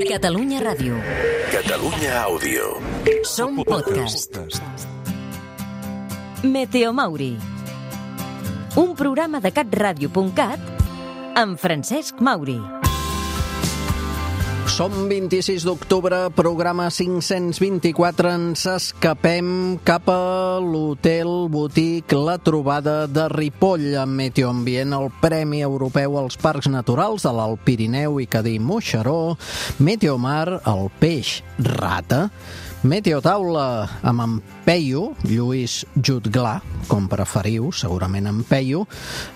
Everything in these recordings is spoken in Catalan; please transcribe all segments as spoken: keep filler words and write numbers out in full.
Catalunya Ràdio. Catalunya Àudio. Som podcast. Meteo Mauri. Un programa de catradio punt cat amb Francesc Mauri. Som vint-i-sis d'octubre, programa cinc-cents vint-i-quatre. Ens escapem cap a l'Hotel Botic La Trobada de Ripoll, amb Meteo Ambient, el Premi Europeu als Parcs Naturals de l'Alt Pirineu i Cadí-Moixeró, Meteo Mar, el peix rata, Meteo Taula amb en Peyu, Lluís Jutglà, com preferiu, segurament en Peyu,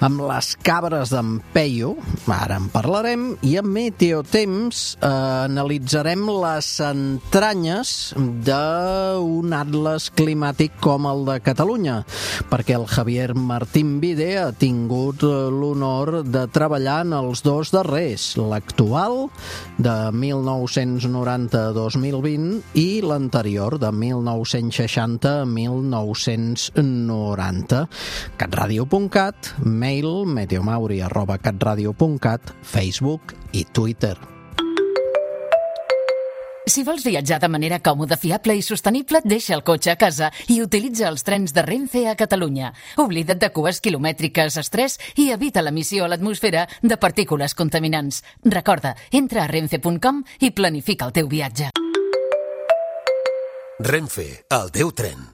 amb les cabres d'en Peyu, ara en parlarem, i amb Meteo Temps eh, analitzarem les entranyes d'un atles climàtic com el de Catalunya, perquè el Javier Martín Vide ha tingut l'honor de treballar en els dos darrers, l'actual de mil nou-cents noranta a dos mil vint i l'anterior de mil nou-cents seixanta a mil nou-cents noranta. catradio punt cat, mail meteomauri arroba catradio punt cat, Facebook i Twitter. Si vols viatjar de manera còmoda, fiable i sostenible, deixa el cotxe a casa i utilitza els trens de Renfe a Catalunya. Oblida't de cues quilomètriques, estrès i evita l'emissió a l'atmosfera de partícules contaminants. Recorda, entra a renfe punt com i planifica el teu viatge. Renfe, el teu tren.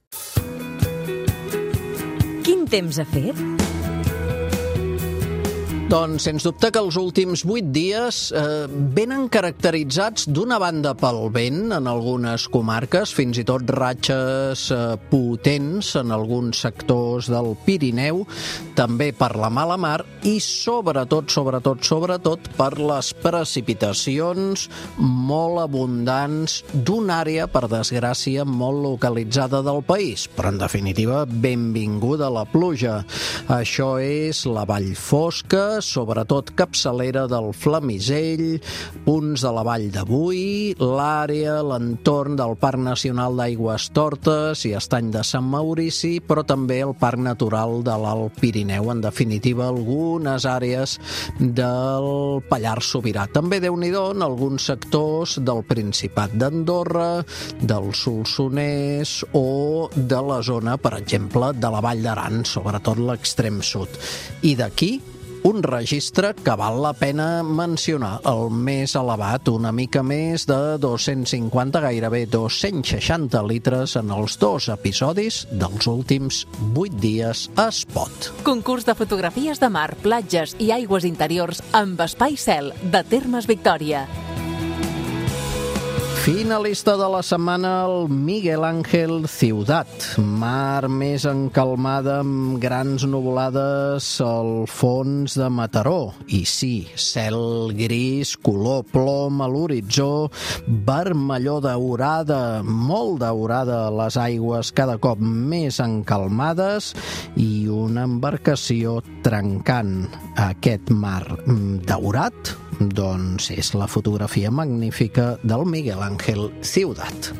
Quin temps ha fet? Doncs, sens dubte que els últims vuit dies eh, venen caracteritzats d'una banda pel vent en algunes comarques, fins i tot ratxes eh, potents en alguns sectors del Pirineu, també per la mala mar i sobretot, sobretot, sobretot per les precipitacions molt abundants d'una àrea, per desgràcia, molt localitzada del país. Però, en definitiva, benvinguda la pluja. Això és la Vall Fosca, sobretot capçalera del Flamisell, punts de la Vall de Boí, l'àrea, l'entorn del Parc Nacional d'Aigüestortes i Estany de Sant Maurici, però també el Parc Natural de l'Alt Pirineu, en definitiva algunes àrees del Pallars Sobirà. També Déu-n'hi-do en alguns sectors del Principat d'Andorra, del Solsonès o de la zona, per exemple, de la Vall d'Aran, sobretot l'extrem sud. I d'aquí un registre que val la pena mencionar, el més elevat, una mica més de dos-cents cinquanta, gairebé dos-cents seixanta litres en els dos episodis dels últims vuit dies a Espot. Concurs de fotografies de mar, platges i aigües interiors amb espai cel de Termes Victòria. Finalista de la setmana, el Miguel Ángel Ciutat. Mar més encalmada amb grans nuvolades al fons de Mataró. I sí, cel gris, color plom a l'horitzó, vermellor daurada, molt daurada a les aigües, cada cop més encalmades, i una embarcació trencant aquest mar daurat. Doncs és la fotografia magnífica del Miguel Ángel Ciutat.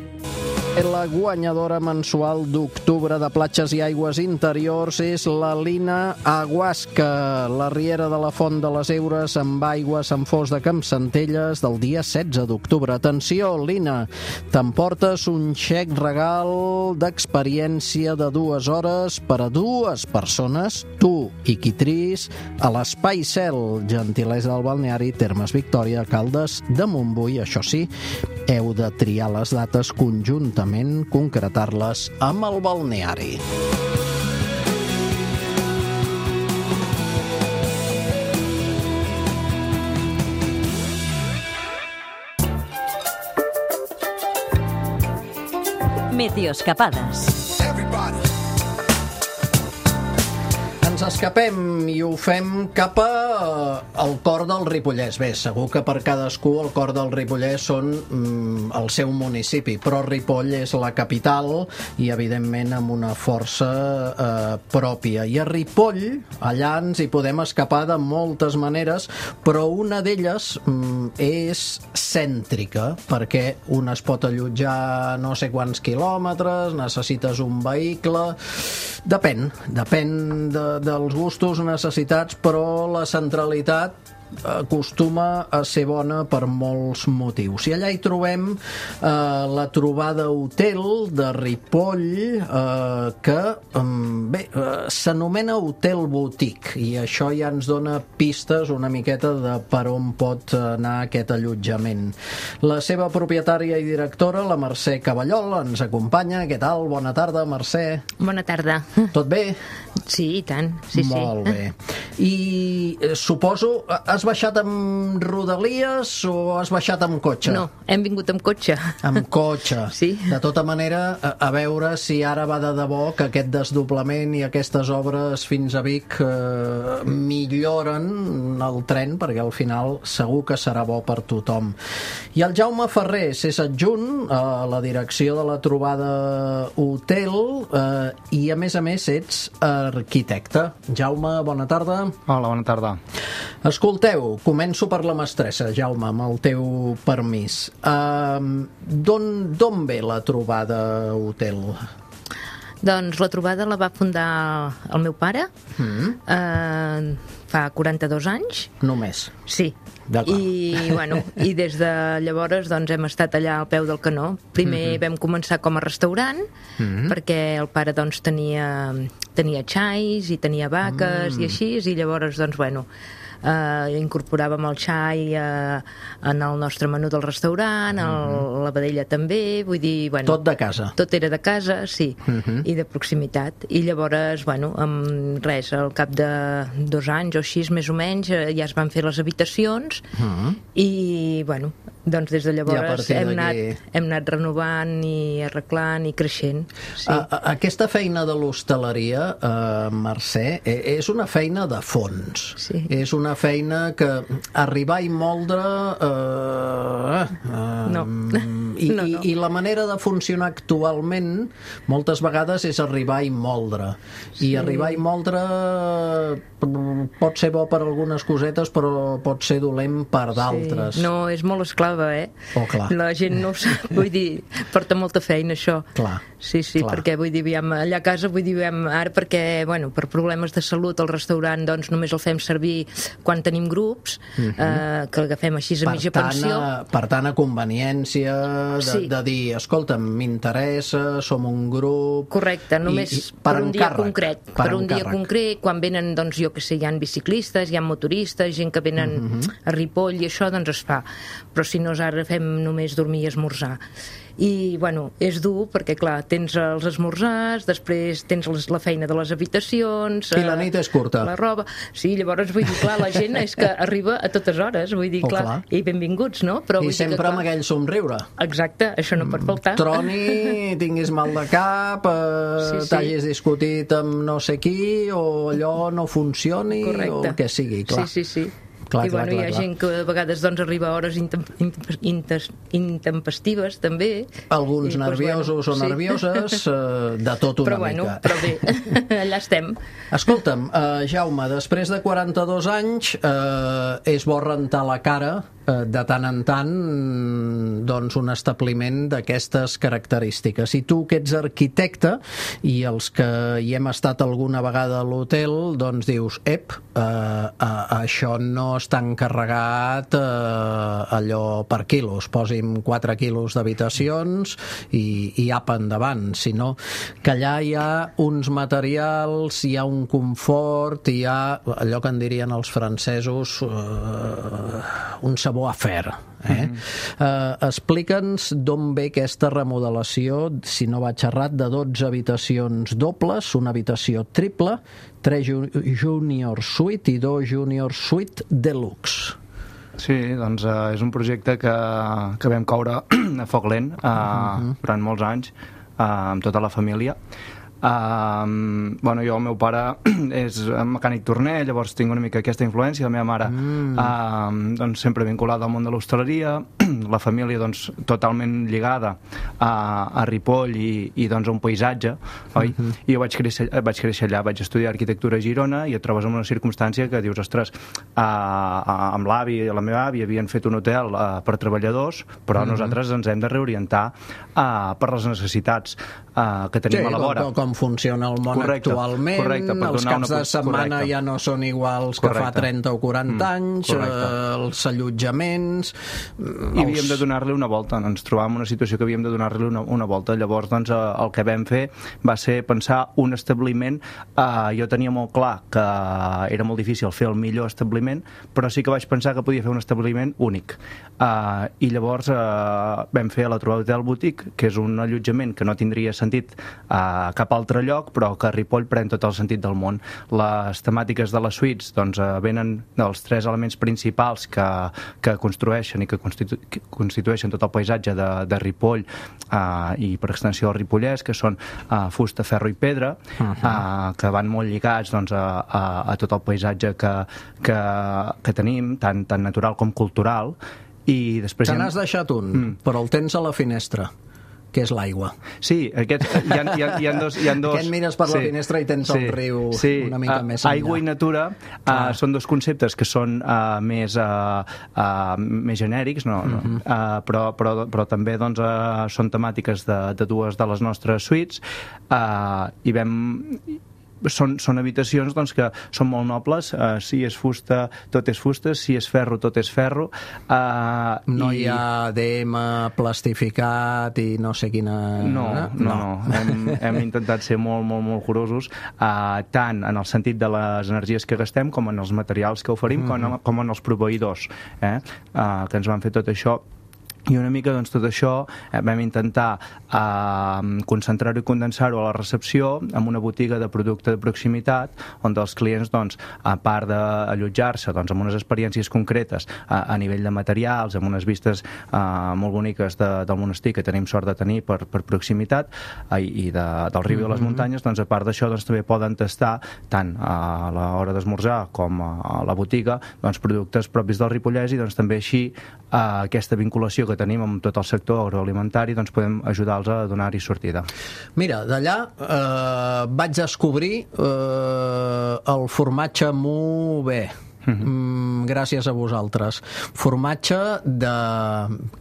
La guanyadora mensual d'octubre de platges i aigües interiors és la Lina Aguasca, la riera de la Font de les Eures amb aigua a Sant Fost de Campsentelles del dia setze d'octubre. Atenció, Lina, t'emportes un xec regal d'experiència de dues hores per a dues persones, tu i qui tris, a l'Espai Cel, gentilesa del balneari Termes Victòria, Caldes de Montbui. Això sí, heu de triar les dates conjuntament, concretar-les amb el balneari. Meteoscapades. Ens escapem i ho fem cap a, al cor del Ripollès. Bé, segur que per cadascú el cor del Ripollès són mm, el seu municipi, però Ripoll és la capital i, evidentment, amb una força eh, pròpia. I a Ripoll, allà ens hi podem escapar de moltes maneres, però una d'elles mm, és cèntrica, perquè un es pot allotjar no sé quants quilòmetres, necessites un vehicle... Depèn, depèn de, dels gustos, necessitats, però la centralitat acostuma a ser bona per molts motius. I allà hi trobem eh, la trobada hotel de Ripoll, eh, que bé, eh, s'anomena Hotel Boutique, i això ja ens dona pistes una miqueta de per on pot anar aquest allotjament. La seva propietària i directora, la Mercè Cavallol, ens acompanya. Què tal? Bona tarda, Mercè. Bona tarda. Tot bé? Sí, i tant. Sí, Molt sí. bé. I eh, suposo, has baixat amb rodalies o has baixat amb cotxe? No, hem vingut amb cotxe. Amb cotxe. Sí. De tota manera, a, a veure si ara va de debò que aquest desdoblament i aquestes obres fins a Vic eh, milloren el tren, perquè al final segur que serà bo per tothom. I el Jaume Ferrer és adjunt a la direcció de la trobada hotel eh, i a més a més ets arquitecte. Jaume, bona tarda. Hola, bona tarda. Escolteu, començo per la mestressa, Jaume, amb el teu permís. Uh, D'on ve la trobada hotel? Doncs la trobada la va fundar el meu pare Mm. eh, fa quaranta-dos anys. Només? Sí. D'acord. I, bueno, i des de llavors doncs, hem estat allà al peu del canó. Primer mm-hmm. vam començar com a restaurant, mm-hmm. perquè el pare doncs, tenia, tenia xais i tenia vaques mm. i així, i llavors doncs, bueno, eh, incorporàvem el xai eh, en el nostre menú del restaurant, mm-hmm. el, la vedella també, vull dir... Bueno, tot de casa? Tot era de casa, sí, mm-hmm. i de proximitat. I llavors, bueno, amb res, al cap de dos anys o així, més o menys, ja es van fer les habitacions. Uh-huh. I, bueno, doncs des de llavors hem anat, hem anat renovant i arreglant i creixent. Sí. A, a, aquesta feina de l'hostaleria, eh, Mercè, és una feina de fons. Sí. És una feina que arribar i moldre... Eh, eh, no. I, no, no. I, I la manera de funcionar actualment moltes vegades és arribar i moldre. I sí. arribar i moldre pot ser bo per algunes cosetes, però pot ser dolent per d'altres. Sí. No, és molt esclava, eh? Oh, clar. La gent no ho sap, vull dir, porta molta feina, això. Clar. Sí, sí, clar. Perquè, vull dir, aviam, allà a casa, vull dir, aviam, ara perquè, bueno, per problemes de salut, el restaurant, doncs, només el fem servir quan tenim grups, uh-huh. eh, que l'agafem així a per mitja tant, pensió. A, per tant, a conveniència de, sí. de dir, escolta'm, m'interessa, som un grup... Correcte, només i, i per, per un encàrrec, dia concret. Per, per un encàrrec. dia concret, quan venen, doncs, jo que sé, hi ha biciclistes, hi ha motoristes, gent que venen uh-huh. a Ripoll i això, doncs es fa. Però si no, ara fem només dormir i esmorzar. I, bueno, és dur perquè, clar, tens els esmorzars, després tens les, la feina de les habitacions... I la nit és curta. La roba... Sí, llavors, vull dir, clar, la gent és que arriba a totes hores, vull dir, oh, clar, clar, i benvinguts, no? Però, I sempre que, clar, amb aquell somriure. Exacte, això no pot faltar. Troni, tinguis mal de cap, eh, sí, sí. t'hagis discutit amb no sé qui, o allò no funcioni, correcte. O el que sigui, clar. Sí, sí, sí. Clar, I, clar, bueno, clar, hi ha clar. gent que a vegades doncs, arriba a hores intem inter intempestives, també. Alguns I, nerviosos doncs, bueno, o nervioses, sí. eh, de tot una però, bueno, mica. Però bé, allà estem. Escolta'm, eh, Jaume, després de quaranta-dos anys, eh, és bo rentar la cara eh, de tant en tant doncs, un establiment d'aquestes característiques. I tu, que ets arquitecte, i els que hi hem estat alguna vegada a l'hotel, doncs dius, ep, eh, eh, això no està encarregat eh, allò per quilos, posi'm quatre quilos d'habitacions i, i apa endavant, sinó que allà hi ha uns materials, hi ha un confort, hi ha allò que en dirien els francesos eh, un savoir-faire. Eh? Mm-hmm. eh, explica'ns d'on ve aquesta remodelació, si no vaig errat, de dotze habitacions dobles, una habitació triple, tres junior suite i dos junior suite deluxe. Sí, doncs uh, és un projecte que, que vam coure a foc lent uh, uh-huh. durant molts anys uh, amb tota la família. Uh, bueno, jo, el meu pare és mecànic torner, llavors tinc una mica aquesta influència. La meva mare mm. uh, doncs, sempre vinculada al món de l'hostaleria, la família doncs, totalment lligada a, a Ripoll i, i doncs, a un paisatge, oi? Mm-hmm. I jo vaig créixer, vaig créixer allà, vaig estudiar arquitectura a Girona i et trobes en una circumstància que dius, ostres, uh, uh, amb l'avi i la meva àvia havien fet un hotel uh, per treballadors, però mm-hmm. nosaltres ens hem de reorientar uh, per les necessitats. uh, que tenim sí, a la vora. Com, com funciona el món correcte, actualment, correcte, els caps de setmana correcte. ja no són iguals Correcte. que fa trenta o quaranta mm, anys, eh, els allotjaments... I havíem de donar-li una volta, ens trobàvem en una situació que havíem de donar-li una, una volta, llavors doncs, el que vam fer va ser pensar un establiment, eh, jo tenia molt clar que era molt difícil fer el millor establiment, però sí que vaig pensar que podia fer un establiment únic, eh, i llavors eh, vam fer la Trobada Hotel Boutique, que és un allotjament que no tindria sentit a cap altre lloc, però que a Ripoll pren tot el sentit del món. Les temàtiques de les suites doncs, eh, venen dels tres elements principals que, que construeixen i que, constitu que constitueixen tot el paisatge de, de Ripoll eh, i per extensió el Ripollès, que són eh, fusta, ferro i pedra, uh -huh. eh, que van molt lligats doncs, a, a, a tot el paisatge que, que, que tenim, tant, tant natural com cultural. I després... Te n'has deixat un, mm. però el tens a la finestra, que és l'aigua. Sí, aquest, hi, ha, hi, ha, hi, ha dos, hi ha dos... Aquest mires per sí, la finestra i tens sí, el riu sí, una mica uh, més enllà. Aigua i natura uh, són dos conceptes que són uh, més, uh, uh, més genèrics, no, no, uh-huh. uh, però, però, però també doncs, uh, són temàtiques de, de dues de les nostres suites, uh, i vam... Són, són habitacions doncs, que són molt nobles, uh, si és fusta tot és fusta, si és ferro tot és ferro, uh, no i... hi ha D M plastificat i no sé quina... No, no, no, no. Hem, hem intentat ser molt, molt, molt curosos, uh, tant en el sentit de les energies que gastem com en els materials que oferim, mm-hmm. com, com en els proveïdors, eh? uh, que ens van fer tot això. I una mica doncs, tot això eh, vam intentar eh, concentrar-ho i condensar-ho a la recepció amb una botiga de producte de proximitat on els clients, doncs, a part d'allotjar-se doncs, amb unes experiències concretes a, a nivell de materials, amb unes vistes eh, molt boniques de, del monestir que tenim sort de tenir per, per proximitat eh, i de, del riu mm-hmm. i de les muntanyes, doncs, a part d'això doncs, també poden tastar tant a l'hora d'esmorzar com a la botiga doncs, productes propis del Ripollès i doncs, també així eh, aquesta vinculació que tenim amb tot el sector agroalimentari, doncs podem ajudar-los a donar-hi sortida. Mira, d'allà eh, vaig descobrir eh, el formatge Mubé. Mm, gràcies a vosaltres. Formatge de,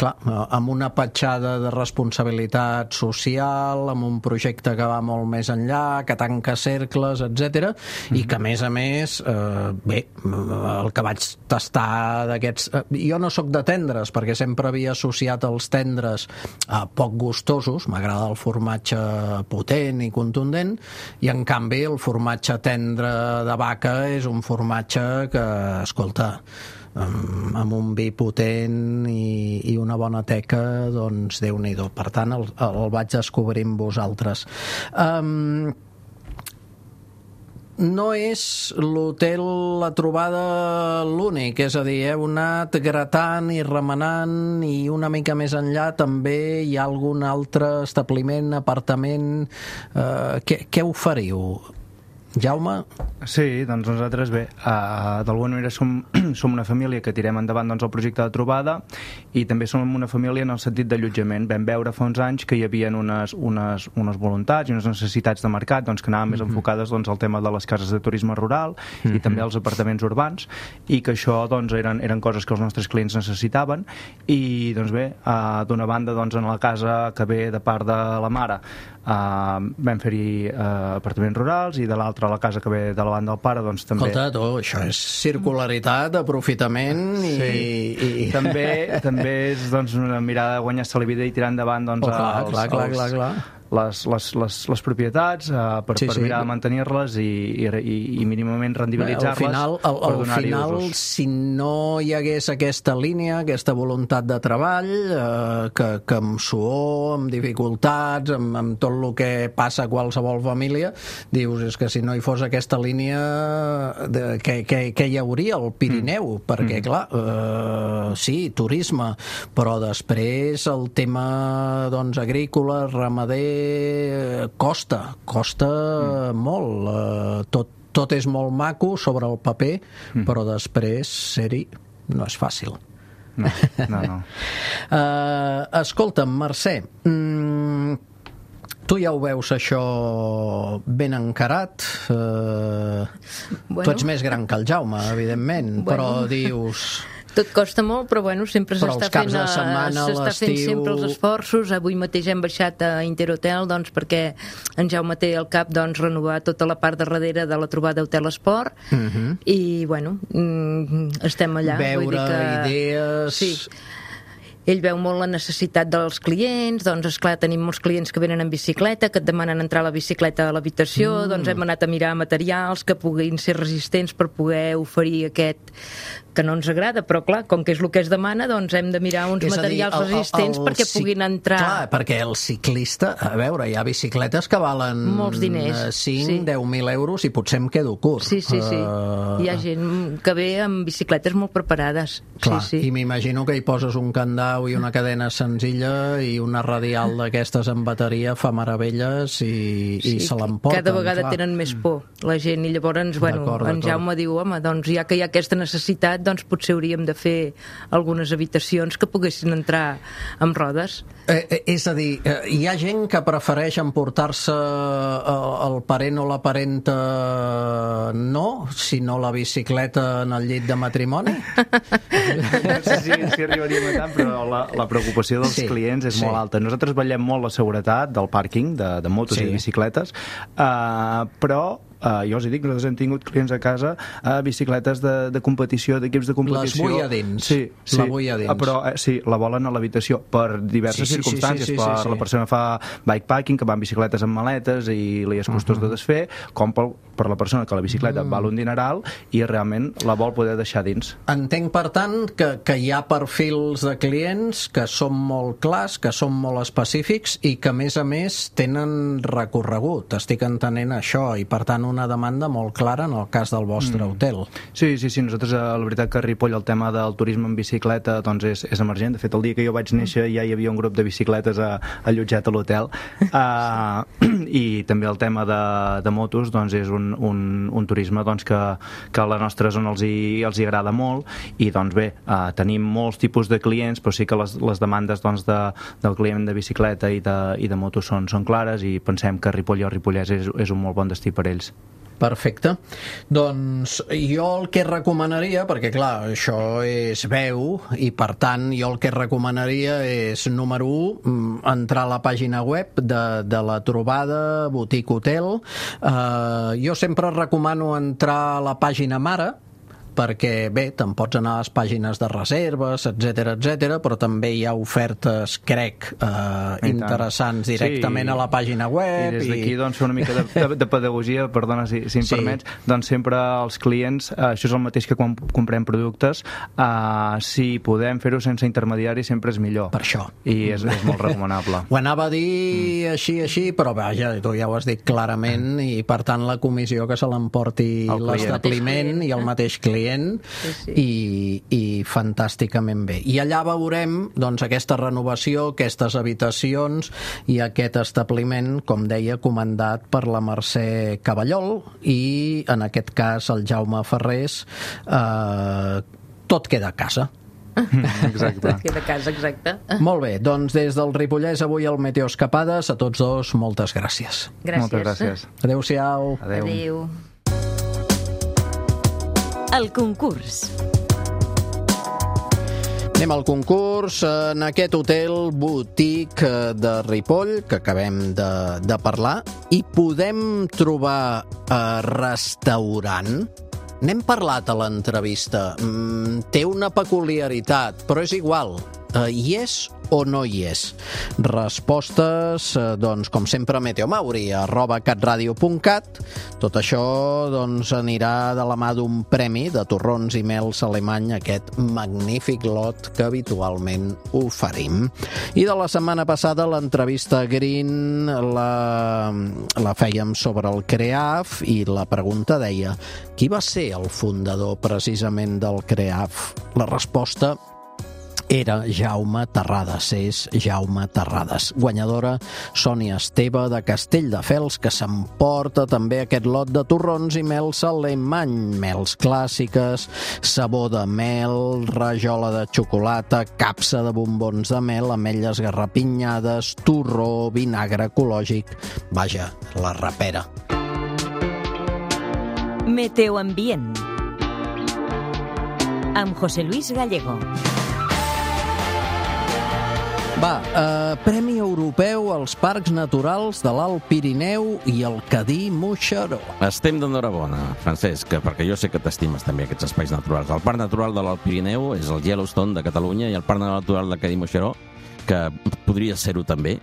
clar, amb una petjada de responsabilitat social, amb un projecte que va molt més enllà, que tanca cercles, etcètera, mm-hmm. i que a més a més eh, bé, el que vaig tastar d'aquests... Eh, jo no sóc de tendres, perquè sempre havia associat els tendres a poc gustosos, m'agrada el formatge potent i contundent, i en canvi el formatge tendre de vaca és un formatge que escolta, amb un vi potent i, i una bona teca, doncs Déu-n'hi-do. Per tant, el, el vaig descobrir amb vosaltres. Um, no és l'hotel La Trobada l'únic, és a dir, heu anat gratant i remenant i una mica més enllà també hi ha algun altre establiment, apartament... Uh, què, què oferiu? Jaume? Sí, doncs nosaltres bé, uh, d'alguna manera som, som una família que tirem endavant doncs, el projecte de trobada i també som una família en el sentit d'allotjament. Vam veure fa uns anys que hi havia unes, unes, unes voluntats i unes necessitats de mercat doncs, que anaven més enfocades doncs, al tema de les cases de turisme rural mm-hmm. i també als apartaments urbans i que això doncs, eren, eren coses que els nostres clients necessitaven i doncs bé, uh, d'una banda doncs, en la casa que ve de part de la mare uh, vam fer-hi uh, apartaments rurals i de l'altra a la casa que ve de la banda del pare, doncs també... Escolta, tu, això és circularitat, aprofitament i... Sí. i... i... També, també és doncs, una mirada de guanyar-se la vida i tirar endavant doncs, oh, clar, els, clar, clar, els, clar, clar. Les, les, les, les propietats uh, per, sí, per mirar sí. de mantenir-les i, i, i mínimament rendibilitzar-les. Al final, al, al final usos. Si no hi hagués aquesta línia, aquesta voluntat de treball, eh, que, que amb suor, amb dificultats, amb, amb tot el que passa a qualsevol família, dius, és que si no hi fos aquesta línia, de, que, que, que hi hauria al Pirineu? Mm. Perquè, mm. clar, eh, sí, turisme, però després el tema doncs, agrícola, ramader, costa, costa mm. molt. Uh, tot, tot és molt maco sobre el paper, mm. però després ser-hi no és fàcil. No, no, no. uh, escolta'm, Mercè, mm, tu ja ho veus això ben encarat. Uh, bueno. Tu ets més gran que el Jaume, evidentment, bueno. Però dius... Tot costa molt, però bueno, sempre Però s'està els caps fent, de setmana, s'està fent l'estiu- sempre els esforços. Avui mateix hem baixat a Interhotel, doncs, perquè en Jaume té al cap, doncs, renovar tota la part de darrere de la trobada Hotel Esport, Mhm. i bueno, mm, estem allà. Vull dir Veure que... idees... Sí. Ell veu molt la necessitat dels clients, doncs, esclar, tenim molts clients que venen en bicicleta, que et demanen entrar la bicicleta a l'habitació, mm. doncs hem anat a mirar materials que puguin ser resistents per poder oferir aquest que no ens agrada, però clar, com que és el que es demana, doncs hem de mirar uns És a dir, materials el- el- resistents el perquè cic- puguin entrar... Clar, perquè el ciclista, a veure, hi ha bicicletes que valen Molts diners, eh, cinc, sí. deu mil euros i potser em quedo curt. Sí, sí, sí. Eh, Hi ha gent que ve amb bicicletes molt preparades. Clar, sí, sí. i m'imagino que hi poses un candau i una cadena senzilla i una radial d'aquestes en bateria fa meravelles i, i se l'emporten. Cada vegada clar. tenen més por la gent, i llavors, bueno, D'acord, en d'acord. Jaume diu, home, doncs ja que hi ha aquesta necessitat, doncs potser hauríem de fer algunes habitacions que poguessin entrar amb rodes. Eh, eh, és a dir, eh, hi ha gent que prefereix emportar-se eh, el parent o la parenta no, sinó la bicicleta en el llit de matrimoni? No sé si, si arribaríem a tant, però la, la preocupació dels Sí, clients és sí. molt alta. Nosaltres vetllem molt la seguretat del pàrquing de, de motos Sí. i bicicletes, uh, però Uh, jo us hi dic, nosaltres hem tingut clients a casa uh, bicicletes de, de competició, d'equips de competició. Les vull a dins. Sí, sí. La vull a dins. Uh, però eh, sí, la volen a l'habitació per diverses Sí, sí, sí, circumstàncies. sí, sí, per sí, sí. la persona que fa bikepacking, que va amb bicicletes amb maletes i li és costós Mhm. de desfer, com per, per la persona que la bicicleta Mm. val un dineral i realment la vol poder deixar dins. Entenc, per tant, que, que hi ha perfils de clients que són molt clars, que són molt específics i que, a més a més, tenen recorregut. Estic entenent això, i, per tant, una demanda molt clara en el cas del vostre mm. hotel. Sí, sí, sí, nosaltres, eh, la veritat que a Ripoll el tema del turisme en bicicleta doncs és, és emergent. De fet, el dia que jo vaig néixer ja hi havia un grup de bicicletes a, allotjat a l'hotel. Uh, I també el tema de, de motos doncs és un, un, un turisme doncs, que, que a la nostra zona els hi, els hi agrada molt, i doncs bé, uh, tenim molts tipus de clients, però sí que les, les demandes doncs, de, del client de bicicleta i de, i de motos són, són clares, i pensem que Ripoll o Ripollès és, és un molt bon destí per ells. Perfecte. Doncs jo el que recomanaria, perquè clar, això és veu, i per tant jo el que recomanaria és, número u, entrar a la pàgina web de, de la trobada Boutique Hotel. Uh, jo sempre recomano entrar a la pàgina mare, perquè bé, te'n pots anar a les pàgines de reserves, etc etc, però també hi ha ofertes, crec, eh, interessants directament Sí. a la pàgina web. I des d'aquí doncs, fer una mica de, de, de pedagogia, perdona si, si em Sí. permets, doncs sempre els clients, eh, això és el mateix que quan comprem productes, eh, si podem fer-ho sense intermediaris sempre és millor. Per això. I és, és molt recomanable. Ho anava a dir mm. així, així, però vaja, tu ja ho has dit clarament, i per tant la comissió que se l'emporti El client. l'establiment i el mateix client, Sí, sí. I, i fantàsticament bé. I allà veurem doncs, aquesta renovació, aquestes habitacions i aquest establiment, com deia, comandat per la Mercè Cavallol i, en aquest cas, el Jaume Ferrés. Eh, tot queda a casa. Exacte. Queda a casa, exacte. Molt bé, doncs des del Ripollès avui el Meteo Escapades, a tots dos moltes gràcies. Gràcies. Moltes gràcies. Adéu-siau. Adéu. Adéu. El concurs. Anem al concurs en aquest hotel Boutique de Ripoll, que acabem de, de parlar, i podem trobar eh, restaurant. N'hem parlat a l'entrevista. Mm, té una peculiaritat, però és igual. Eh, hi és o no hi és? Respostes, eh, doncs, com sempre, a meteomauri, arroba catradio punt cat. Tot això, doncs, anirà de la mà d'un premi de torrons i mels alemany, aquest magnífic lot que habitualment oferim. I de la setmana passada, l'entrevista Green la, la fèiem sobre el CREAF i la pregunta deia: qui va ser el fundador precisament del CREAF? La resposta era Jaume Terrades, és Jaume Terrades. Guanyadora Sònia Esteve de Castelldefels, que s'emporta també aquest lot de torrons i mels alemany, mels clàssiques, sabó de mel, rajola de xocolata, capsa de bombons de mel, ametlles garrapinyades, torró, vinagre ecològic, vaja, la rapera. Meteoambient. amb José Luis Gallego. Va, eh, Premi Europeu als Parcs Naturals de l'Alt Pirineu i el Cadí-Moixeró. Estem d'enhorabona, Francesc, perquè jo sé que t'estimes també aquests espais naturals. El Parc Natural de l'Alt Pirineu és el Yellowstone de Catalunya i el Parc Natural de Cadí-Moixeró, que podria ser-ho també.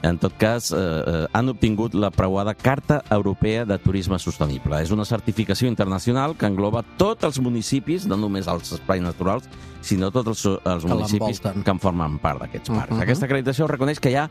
En tot cas, eh, han obtingut la preuada Carta Europea de Turisme Sostenible. És una certificació internacional que engloba tots els municipis, no només els espais naturals, sinó tots els, els municipis que en formen part d'aquests parcs. Uh-huh. Aquesta acreditació reconeix que hi ha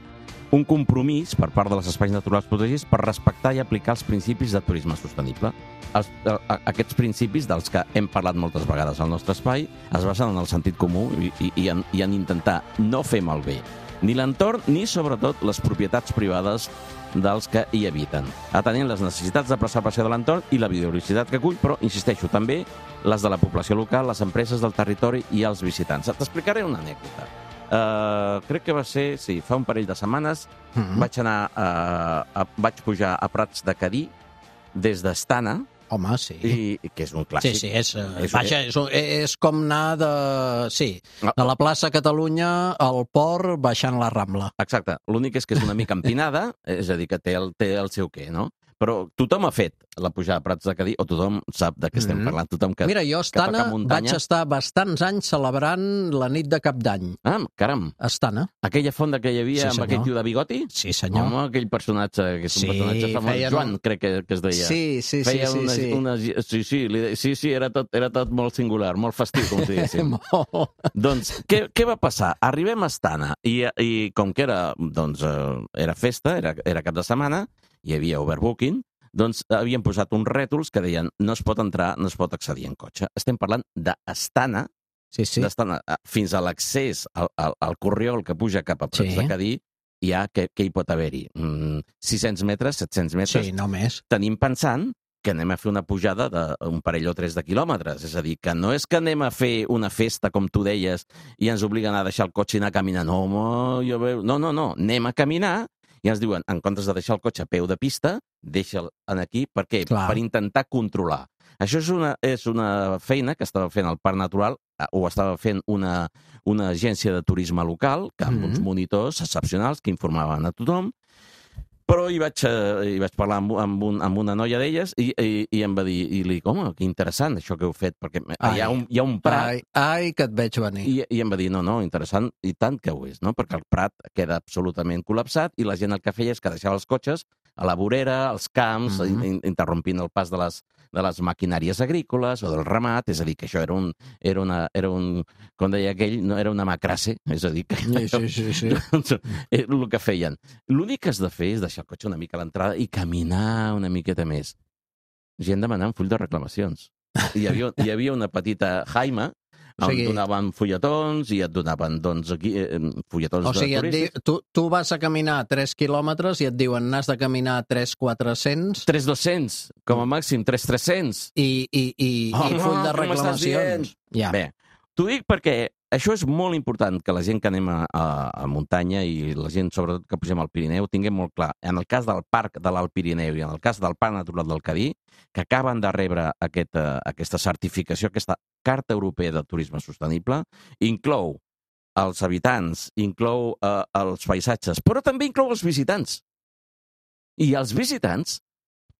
un compromís per part dels espais naturals protegits per respectar i aplicar els principis de turisme sostenible. Els, a, aquests principis, dels que hem parlat moltes vegades al nostre espai, es basen en el sentit comú i, i, i, en, i en intentar no fer malbé ni l'entorn ni, sobretot, les propietats privades dels que hi habiten, atenent les necessitats de preservació de l'entorn i la biodiversitat que acull, però, insisteixo, també les de la població local, les empreses del territori i els visitants. T'explicaré una anècdota. Uh, crec que va ser, sí, fa un parell de setmanes, mm-hmm. vaig anar, uh, a, vaig pujar a Prats de Cadí des d'Estana. Home, sí. I, que és un clàssic. Sí, sí, és, és, vaja, és, és com anar de, sí, de la plaça Catalunya al port baixant la Rambla. Exacte. L'únic és que és una mica empinada, és a dir, que té el, té el seu què, no? Però tothom ha fet la pujada a Prats de Cadí, o tothom sap de què estem mm-hmm. parlant, tothom que, Mira, jo, Estana, que toca muntanya. Vaig estar bastants anys celebrant la nit de Cap d'Any. Ah, caram. Estana. Aquella fonda que hi havia sí, amb aquell tio de bigoti? Sí, senyor. Home, aquell personatge, que és un sí, personatge famós, feien... Joan, crec que, que es deia. Sí, sí, feia sí, una, sí. Una, sí, sí, li, sí, sí, era tot, era tot molt singular, molt festiu, com si diguéssim. Doncs, què, què va passar? Arribem a Estana, i, i com que era, doncs, era festa, era, era cap de setmana, hi havia overbooking, doncs havien posat uns rètols que deien no es pot entrar, no es pot accedir en cotxe. Estem parlant d'Estana, sí, sí. d'Estana fins a l'accés al, al, al corriol que puja cap a Prats sí. de Cadí, hi ha, què, què hi pot haver-hi? Mm, sis-cents metres, set-cents metres? Sí, no més. Tenim pensant que anem a fer una pujada d'un parell o tres de quilòmetres. És a dir, que no és que anem a fer una festa, com tu deies, i ens obliguen a deixar el cotxe i anar a caminar. No, home, jo veu... no, no, no, anem a caminar, i ens diuen, en comptes de deixar el cotxe a peu de pista, deixa'l aquí. Per què? Clar. Per intentar controlar. Això és una, és una feina que estava fent el Parc Natural, o estava fent una, una agència de turisme local, que amb mm-hmm. uns monitors excepcionals que informaven a tothom, però hi vaig, hi vaig parlar amb, amb, un, amb una noia d'elles i, i, i em va dir, i li dic, home, que interessant això que heu fet, perquè ai, hi, ha un, hi ha un prat... Ai, ai, que et veig venir. I, I em va dir, no, no, interessant, i tant que ho és, no? Perquè el prat queda absolutament col·lapsat i la gent el que feia és que deixava els cotxes a la vorera, als camps, mm-hmm. in, interrompint el pas de les, de les maquinàries agrícoles o del ramat, és a dir, que això era un, era una, era un com deia aquell, no era una macrasse, és a dir, que sí, sí, sí, sí. doncs, el que feien. L'únic que has de fer és deixar el cotxe una mica a l'entrada i caminar una miqueta més. Gent demanant full de reclamacions. Hi havia, hi havia una petita Jaima, on o sigui, donaven fulletons i et donaven, doncs, aquí, eh, fulletons o sigui, de turistes. Di, tu, tu vas a caminar tres quilòmetres i et diuen n'has de caminar tres quatre-cents. tres dos-cents, com a màxim, tres tres-cents. I, i, i, oh, i full de reclamacions. Ja. Bé, t'ho dic perquè això és molt important, que la gent que anem a, a, a muntanya i la gent, sobretot, que pugem al Pirineu, tinguem molt clar. En el cas del Parc de l'Alt Pirineu i en el cas del Parc Natural del Cadí, que acaben de rebre aquest, uh, aquesta certificació, aquesta Carta Europea de Turisme Sostenible, inclou els habitants, inclou uh, els paisatges, però també inclou els visitants. I els visitants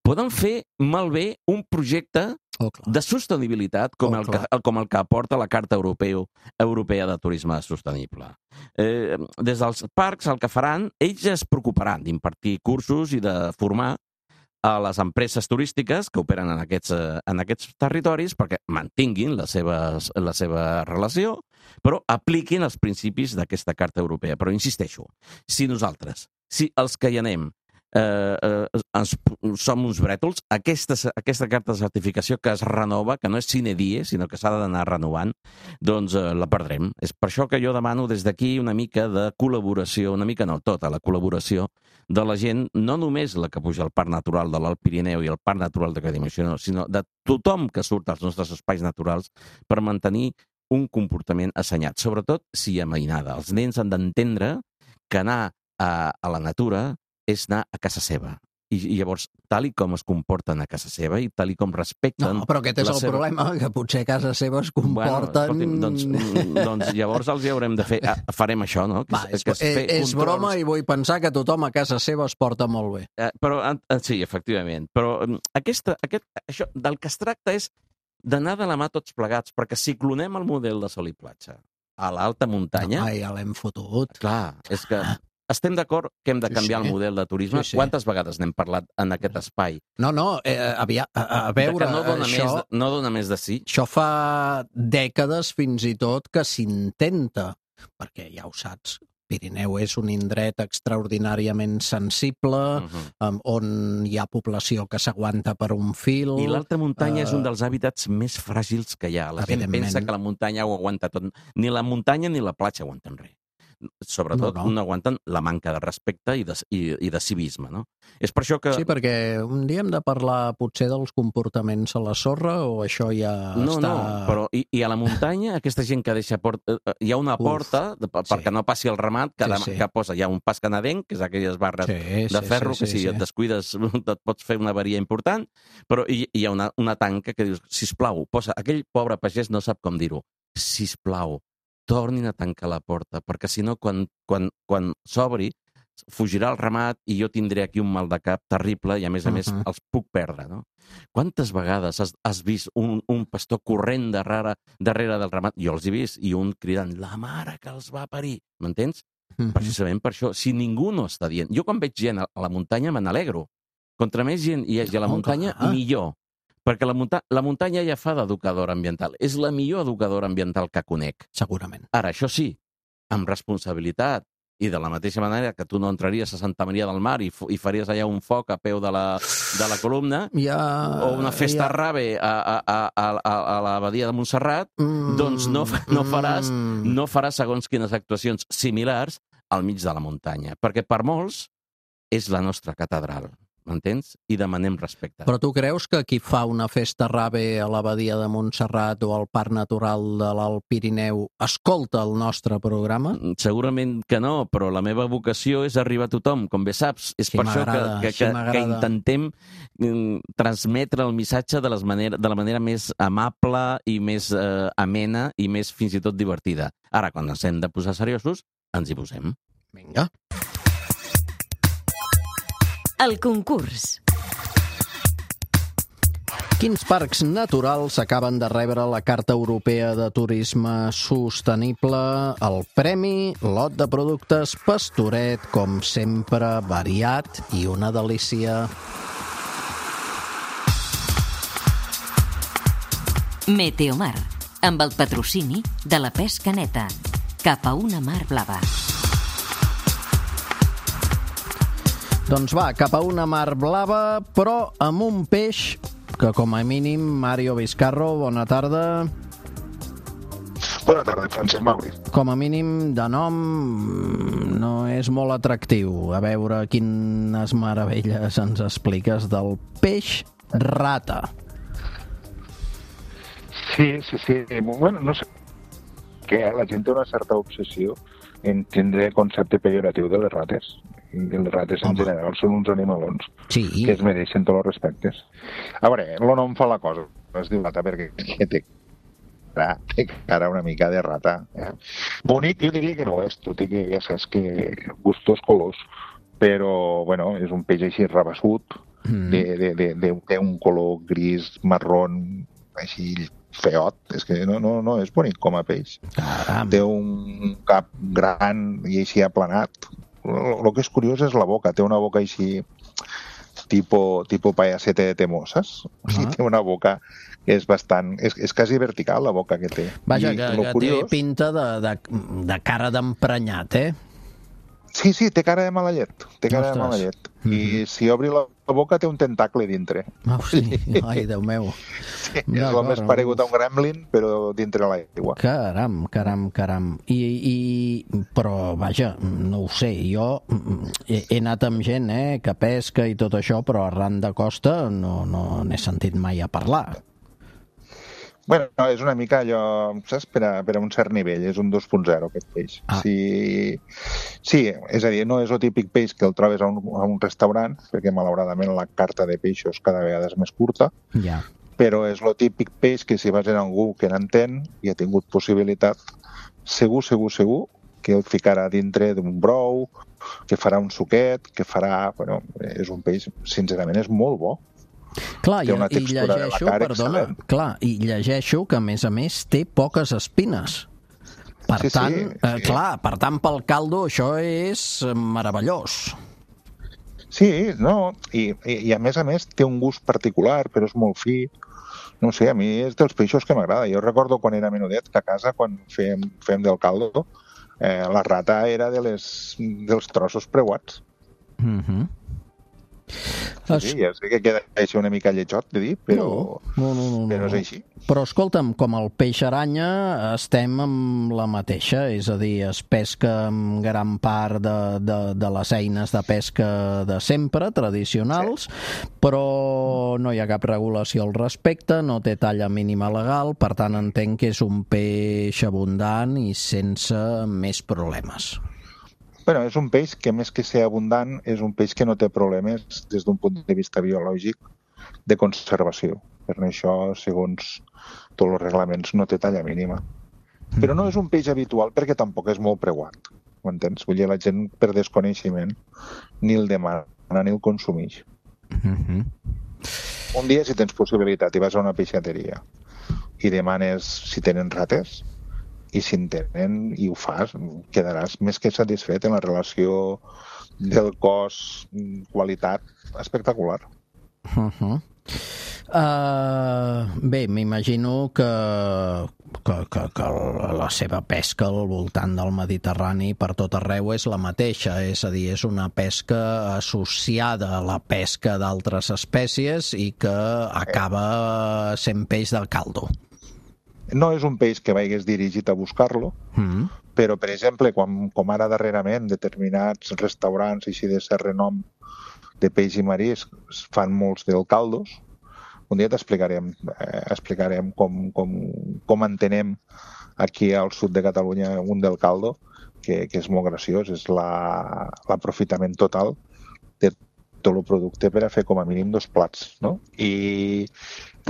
poden fer malbé un projecte oh, de sostenibilitat com, oh, el que, com el que aporta la Carta Europeu, Europea de Turisme Sostenible. Eh, des dels parcs el que faran, ells es preocuparan d'impartir cursos i de formar a les empreses turístiques que operen en aquests, en aquests territoris perquè mantinguin la seva, la seva relació, però apliquin els principis d'aquesta Carta Europea. Però insisteixo, si nosaltres, si els que hi anem, Eh, eh, ens, som uns brètols, aquesta, aquesta carta de certificació que es renova, que no és sine die, sinó que s'ha d'anar renovant, doncs eh, la perdrem. És per això que jo demano des d'aquí una mica de col·laboració, una mica no, tota la col·laboració de la gent, no només la que puja al Parc Natural de l'Alt Pirineu i el Parc Natural de Cadí-Moixeró, sinó de tothom que surt als nostres espais naturals per mantenir un comportament assenyat, sobretot si hi ha mainada. Els nens han d'entendre que anar a, a la natura és anar a casa seva. i, i llavors, tal i com es comporten a casa seva i tal i com respecten... No, però aquest és el seva... problema, que potser a casa seva es comporten... Bueno, doncs, doncs llavors els hi haurem de fer... Ah, farem això, no? Que, Va, és, que es és, és controls... broma i vull pensar que tothom a casa seva es porta molt bé. Eh, però, eh, sí, efectivament. Però aquesta, aquest, això, del que es tracta és d'anar de la mà tots plegats, perquè si clonem el model de sol i platja a l'alta muntanya... No, ja l'hem fotut. Clar, és que... Estem d'acord que hem de canviar sí, sí. el model de turisme? Sí, sí. Quantes vegades n'hem parlat en aquest espai? No, no, eh, havia, a, a veure... no dona, això, més, no dona més de sí? Això fa dècades fins i tot que s'intenta, perquè ja ho saps, Pirineu és un indret extraordinàriament sensible, uh-huh. um, on hi ha població que s'aguanta per un fil... I l'alta muntanya uh, és un dels hàbitats més fràgils que hi ha. La gent pensa que la muntanya ho aguanta tot. Ni la muntanya ni la platja aguanten res. Sobretot no, no. no aguanten la manca de respecte i de, i, i de civisme, no? És per això que... Sí, perquè un dia hem de parlar potser dels comportaments a la sorra o això ja no, està... No, no, però i, i a la muntanya aquesta gent que deixa porta... Hi ha una Uf, porta de, perquè sí. no passi el ramat que, sí, sí. que posa, hi ha un pas canadenc, que és aquelles barres sí, de ferro, sí, sí, que si sí, et descuides et pots fer una avaria important, però hi, hi ha una, una tanca que dius, sisplau, posa, aquell pobre pagès no sap com dir-ho, sisplau, tornin a tancar la porta, perquè si no, quan, quan, quan s'obri, fugirà el ramat i jo tindré aquí un mal de cap terrible i, a més a més, uh-huh. els puc perdre, no? Quantes vegades has, has vist un, un pastor corrent darrere, darrere del ramat? Jo els he vist, i un cridant, la mare que els va parir, m'entens? Uh-huh. Precisament per això, si ningú no està dient... Jo quan veig gent a la muntanya me n'alegro. Contra més gent hi hagi a la muntanya, oh, millor. Perquè la, munta la muntanya ja fa d'educadora ambiental. És la millor educadora ambiental que conec. Segurament. Ara, això sí, amb responsabilitat, i de la mateixa manera que tu no entraries a Santa Maria del Mar i, i faries allà un foc a peu de la, de la columna, ja, o una festa ja. rave a, a, a, a, a l'abadia de Montserrat, mm, doncs no, no, faràs, no faràs segons quines actuacions similars al mig de la muntanya. Perquè per molts és la nostra catedral. M'entens? I demanem respecte. Però tu creus que qui fa una festa rave a l'abadia de Montserrat o al Parc Natural de l'Alt Pirineu escolta el nostre programa? Segurament que no, però la meva vocació és arribar a tothom, com bé saps. És sí, per això que, que, sí, que, que intentem transmetre el missatge de, les manera, de la manera més amable i més eh, amena i més fins i tot divertida. Ara, quan ens hem de posar seriosos, ens hi posem. Vinga. El concurs. Quins parcs naturals acaben de rebre la Carta Europea de Turisme Sostenible? El premi, lot de productes Pastoret, com sempre, variat i una delícia. Meteomar, amb el patrocini de la pesca neta, cap a una mar blava. Doncs va, cap a una mar blava, però amb un peix que, com a mínim, Mario Vizcarro, bona tarda. Bona tarda, Francesc Mauri. Com a mínim, de nom, no és molt atractiu. A veure quines meravelles ens expliques del peix rata. Sí, sí, sí. Bueno, no sé que la gent té una certa obsessió en tindre concepte pejoratiu de les rates. I les rates en Home. general són uns animalons sí. que es mereixen tots els respectes. A veure, el nom fa la cosa. Es diu rata perquè té cara, té cara una mica de rata. Eh? Bonic jo diria que no és, tot i que ja saps que gustos colors, però bueno, és un peix així rabassut, mm. de, de, de, de, de un color gris, marrón, així feot, és que no, no, no és bonic com a peix. Caram. Té un cap gran i així aplanat. El que és curiós és la boca. Té una boca així tipo, tipo payasete de temoses. O sigui, uh -huh. té una boca que és bastant... És, és quasi vertical, la boca que té. Vaja, I que, que curiós... té pinta de, de, de cara d'emprenyat, eh? Sí, sí, té cara de mala llet. Té cara Ostres. de mala llet. Mm -hmm. I si obri la boca té un tentacle dintre. Oh, sí. Ai, Déu meu. Sí, és el més paregut a un gremlin, però dintre l'aigua. Caram, caram, caram. I, i, però, vaja, no ho sé, jo he, he anat amb gent, eh, que pesca i tot això, però arran de costa no, no n'he sentit mai a parlar. Bueno, no, és una mica allò, saps, per a, per a un cert nivell, és un dos punt zero aquest peix. Ah. Sí, sí, és a dir, no és el típic peix que el trobes a un, a un restaurant, perquè malauradament la carta de peixos cada vegada és més curta, Ja. però és el típic peix que si vas a algú que n'entén i ha tingut possibilitat, segur, segur, segur que el ficarà dintre d'un brou, que farà un suquet, que farà... Bueno, és un peix, sincerament, és molt bo. Clar, i, Té una i textura de la llegeixo, carn perdona, excel·lent. clar, i llegeixo que a més a més té poques espines. Per Sí, sí, tant, sí. eh, clar, per tant pel caldo això és meravellós. Sí, no, i, i, i a més a més té un gust particular, però és molt fi. No sé, a mi és dels peixos que m'agrada. Jo recordo quan era menudet que a casa, quan fèiem, fèiem del caldo, eh, la rata era de les, dels trossos preuats. Mhm. Sí, sí, ja sé que queda així una mica lletjot de dir, però, No, no, no, no, però no. és així. Però escolta'm, com el peix aranya estem amb la mateixa, és a dir, es pesca amb gran part de, de, de les eines de pesca de sempre, tradicionals, sí. Però no hi ha cap regulació al respecte, no té talla mínima legal, per tant entenc que és un peix abundant i sense més problemes. Bueno, és un peix que més que ser abundant és un peix que no té problemes des d'un punt de vista biològic de conservació. Per això, segons tots els reglaments, no té talla mínima. Però no és un peix habitual perquè tampoc és molt preuat. Ho entens? Vull dir, la gent per desconeixement ni el demana ni el consumeix. Mm-hmm. Un dia, si tens possibilitat i vas a una peixateria i demanes si tenen rates, i si en tenen i ho fas, quedaràs més que satisfet en la relació del cost-qualitat espectacular. Uh-huh. Uh, bé, m'imagino que, que, que, que la seva pesca al voltant del Mediterrani per tot arreu és la mateixa, és a dir, és una pesca associada a la pesca d'altres espècies i que acaba sent peix del caldo. No és un peix que vagis dirigit a buscar-lo, mm. però, per exemple, quan, com ara darrerament determinats restaurants així de cert renom de peix i marisc fan molts del caldos, un dia t'explicarem eh, explicarem com, com, com entenem aquí al sud de Catalunya un del caldo, que, que és molt graciós, és la, l'aprofitament total de tot el producte per a fer com a mínim dos plats, no? I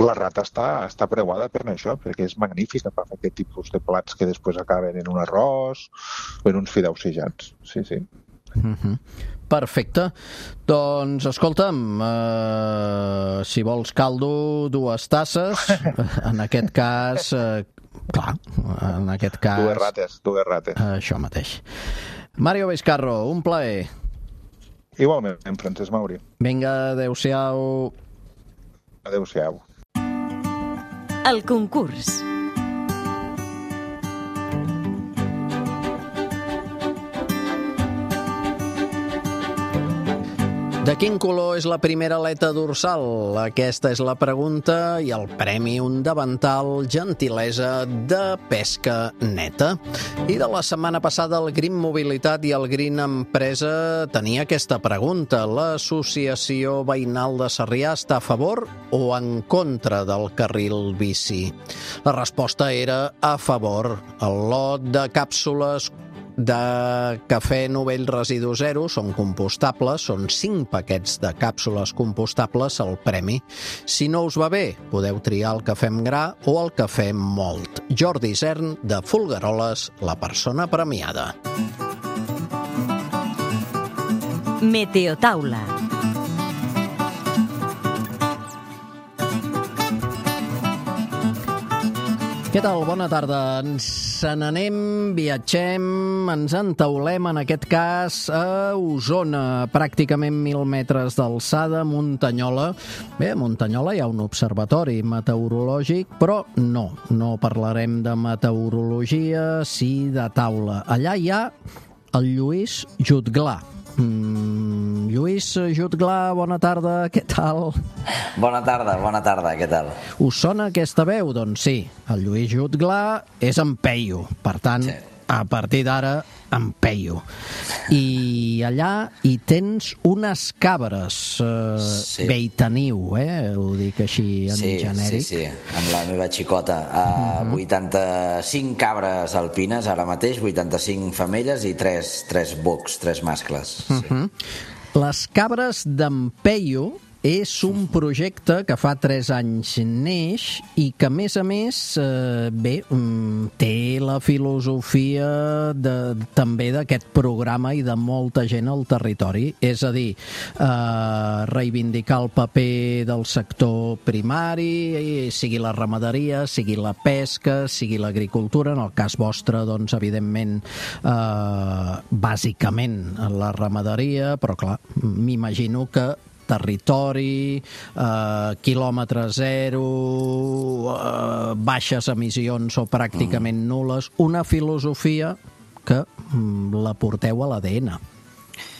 la rata està, està preuada per això, perquè és magnífica per fer aquest tipus de plats que després acaben en un arròs o en uns fideus sejats. Sí, sí. Mm-hmm. Perfecte. Doncs, escolta'm, eh, si vols caldo, dues tasses. En aquest cas, eh, clar, en aquest cas... Dues rates, dues rates. Això mateix. Mario Vizcarro, un plaer. Igualment, Francesc Mauri. Vinga, adeu-siau. Adeu-siau. El concurs. De quin color és la primera aleta dorsal? Aquesta és la pregunta i el premi un davantal gentilesa de pesca neta. I de la setmana passada el Green Mobilitat i el Green Empresa tenia aquesta pregunta. L'Associació Veïnal de Sarrià està a favor o en contra del carril bici? La resposta era a favor. El lot de càpsules de cafè Novell Residu Zero són compostables, són cinc paquets de càpsules compostables al premi. Si no us va bé, podeu triar el cafè amb gra o el cafè amb mòlt. Jordi Isern, de Folgueroles, la persona premiada. Meteotaula. Què tal? Bona tarda. Ens n'anem, viatgem, ens entaulem, en aquest cas, a Osona, pràcticament mil metres d'alçada, Muntanyola. Bé, a Muntanyola hi ha un observatori meteorològic, però no, no parlarem de meteorologia, sí de taula. Allà hi ha el Lluís Jutglà. Mm, Lluís Jutglà, bona tarda, què tal? Bona tarda, bona tarda, què tal? Us sona aquesta veu? Doncs sí, el Lluís Jutglà és en Peyu, per tant, sí. A partir d'ara en Peyu. I allà hi tens unes cabres, eh, Sí. bé hi teniu, eh? Ho dic així en Sí, genèric. sí, sí, amb la meva xicota. Uh, vuitanta-cinc cabres alpines ara mateix, vuitanta-cinc femelles i tres, tres bocs, tres mascles. Sí. Uh-huh. Les cabres d'en Peyu és un projecte que fa tres anys neix i que, a més a més, eh, bé, mm, té la filosofia de, també d'aquest programa i de molta gent al territori. És a dir, eh, reivindicar el paper del sector primari, sigui la ramaderia, sigui la pesca, sigui l'agricultura. En el cas vostre, doncs, evidentment, eh, bàsicament la ramaderia, però, clar, m'imagino que territori, eh, quilòmetre zero, eh, baixes emissions o pràcticament nul·les, una filosofia que mm, la porteu a l'A D N.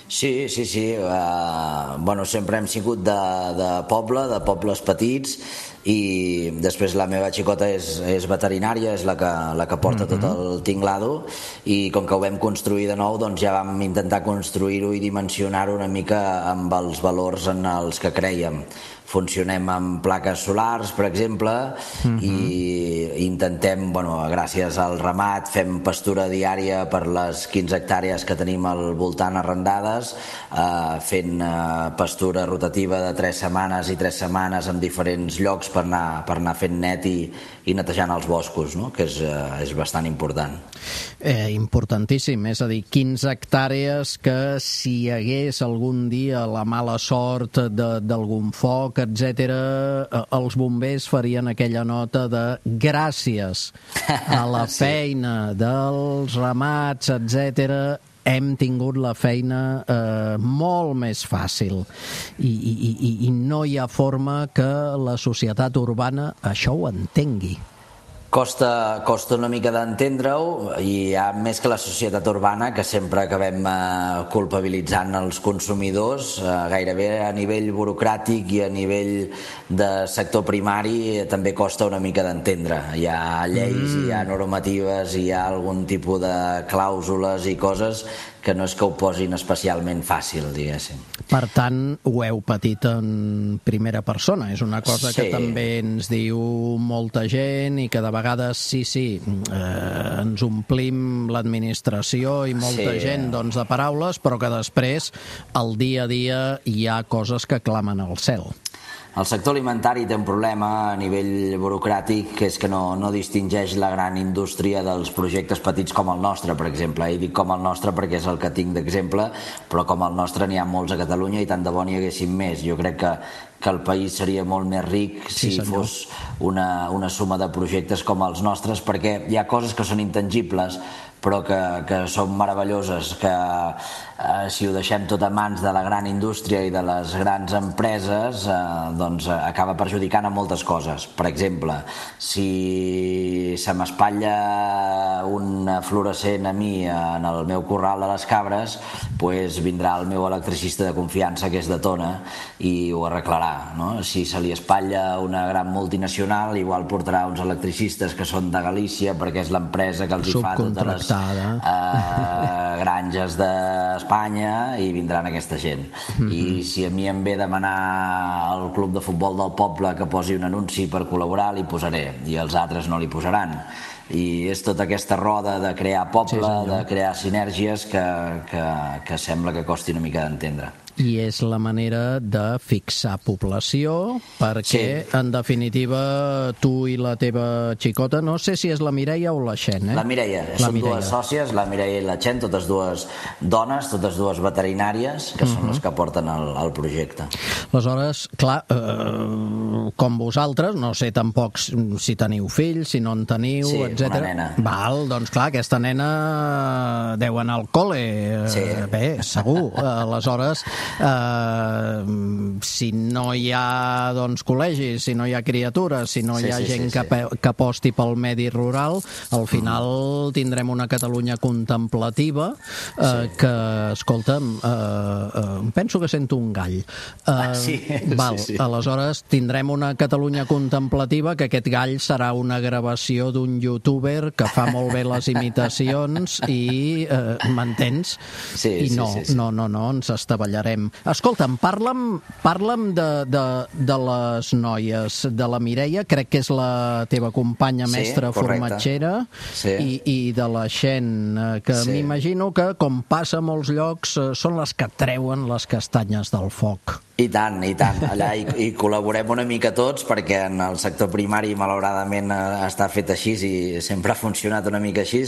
Sí, sí, sí. Uh, bueno, sempre hem sigut de, de poble, de pobles petits, i després la meva xicota és, és veterinària, és la que, la que porta tot el tinglado, i com que ho vam construir de nou, doncs ja vam intentar construir-ho i dimensionar-ho una mica amb els valors en els que creiem. Funcionem amb plaques solars, per exemple, uh-huh. i intentem, bueno, gràcies al ramat, fem pastura diària per les quinze hectàrees que tenim al voltant arrendades, eh, fent eh, pastura rotativa de tres setmanes i tres setmanes en diferents llocs per anar, per anar fent net i, i netejant els boscos, no? Que és, eh, és bastant important. Eh, importantíssim, és a dir, quinze hectàrees que si hi hagués algun dia la mala sort d'algun foc, etcètera, els bombers farien aquella nota de gràcies a la Sí. feina dels ramats, etcètera, hem tingut la feina eh, molt més fàcil. I, i, i, I no hi ha forma que la societat urbana això ho entengui. Costa, costa una mica d'entendre-ho, i hi ha més que la societat urbana, que sempre acabem eh, culpabilitzant els consumidors, eh, gairebé a nivell burocràtic i a nivell de sector primari, eh, també costa una mica d'entendre. Hi ha lleis, mm. hi ha normatives, hi ha algun tipus de clàusules i coses que no és que ho posin especialment fàcil, diguéssim. Per tant, ho heu patit en primera persona. És una cosa Sí. que també ens diu molta gent i que de vegades, sí, sí, eh, ens omplim l'administració i molta Sí. gent doncs, de paraules, però que després, al dia a dia, hi ha coses que clamen al cel. El sector alimentari té un problema a nivell burocràtic, que és que no, no distingeix la gran indústria dels projectes petits com el nostre, per exemple. I dic com el nostre perquè és el que tinc d'exemple, però com el nostre n'hi ha molts a Catalunya i tant de bo n'hi haguessin més. Jo crec que, que el país seria molt més ric si Sí, senyor. fos una, una suma de projectes com els nostres, perquè hi ha coses que són intangibles, però que, que són meravelloses, que eh, si ho deixem tot a mans de la gran indústria i de les grans empreses, eh, doncs eh, acaba perjudicant a moltes coses. Per exemple, si se m'espatlla un fluorescent a mi en el meu corral de les cabres, pues vindrà el meu electricista de confiança, que és de Tona, i ho arreglarà, no? Si se li espatlla una gran multinacional, igual portarà uns electricistes que són de Galícia, perquè és l'empresa que els hi fa totes les Uh, granges d'Espanya, i vindran aquesta gent. Mm-hmm. I si a mi em ve demanar al club de futbol del poble que posi un anunci per col·laborar, li posaré, i els altres no li posaran. I és tota aquesta roda de crear poble, sí, de crear sinergies que, que, que sembla que costi una mica d'entendre. I és la manera de fixar població, perquè, sí. en definitiva, tu i la teva xicota, no sé si és la Mireia o la Xen, eh? La Mireia, la són Mireia. dues sòcies, la Mireia i la Xen, totes dues dones, totes dues veterinàries, que són uh-huh. les que porten el, el projecte. Aleshores, clar, eh, com vosaltres, no sé tampoc si teniu fills, si no en teniu, sí, etcètera. Una nena. Val, doncs clar, aquesta nena deu anar al col·le, sí. bé, segur. Aleshores, Uh, si no hi ha doncs, col·legis, si no hi ha criatures, si no hi ha sí, sí, gent sí, sí. Que, que aposti pel medi rural, al final mm. tindrem una Catalunya contemplativa uh, sí. que, escolta'm, uh, uh, penso que sento un gall. Uh, ah, sí. val, sí, sí. Aleshores tindrem una Catalunya contemplativa, que aquest gall serà una gravació d'un youtuber que fa molt bé les imitacions i uh, m'entens? Sí, I no, sí, sí, sí. no, no, no, ens estavellarem. Escolta'm, parla'm, parla'm de, de, de les noies, de la Mireia, crec que és la teva companya mestra sí, formatgera, sí. i, i de la Xen, que sí. m'imagino que, com passa a molts llocs, són les que treuen les castanyes del foc. I tant, i tant. Allà hi, hi col·laborem una mica tots, perquè en el sector primari malauradament està fet així i sempre ha funcionat una mica així.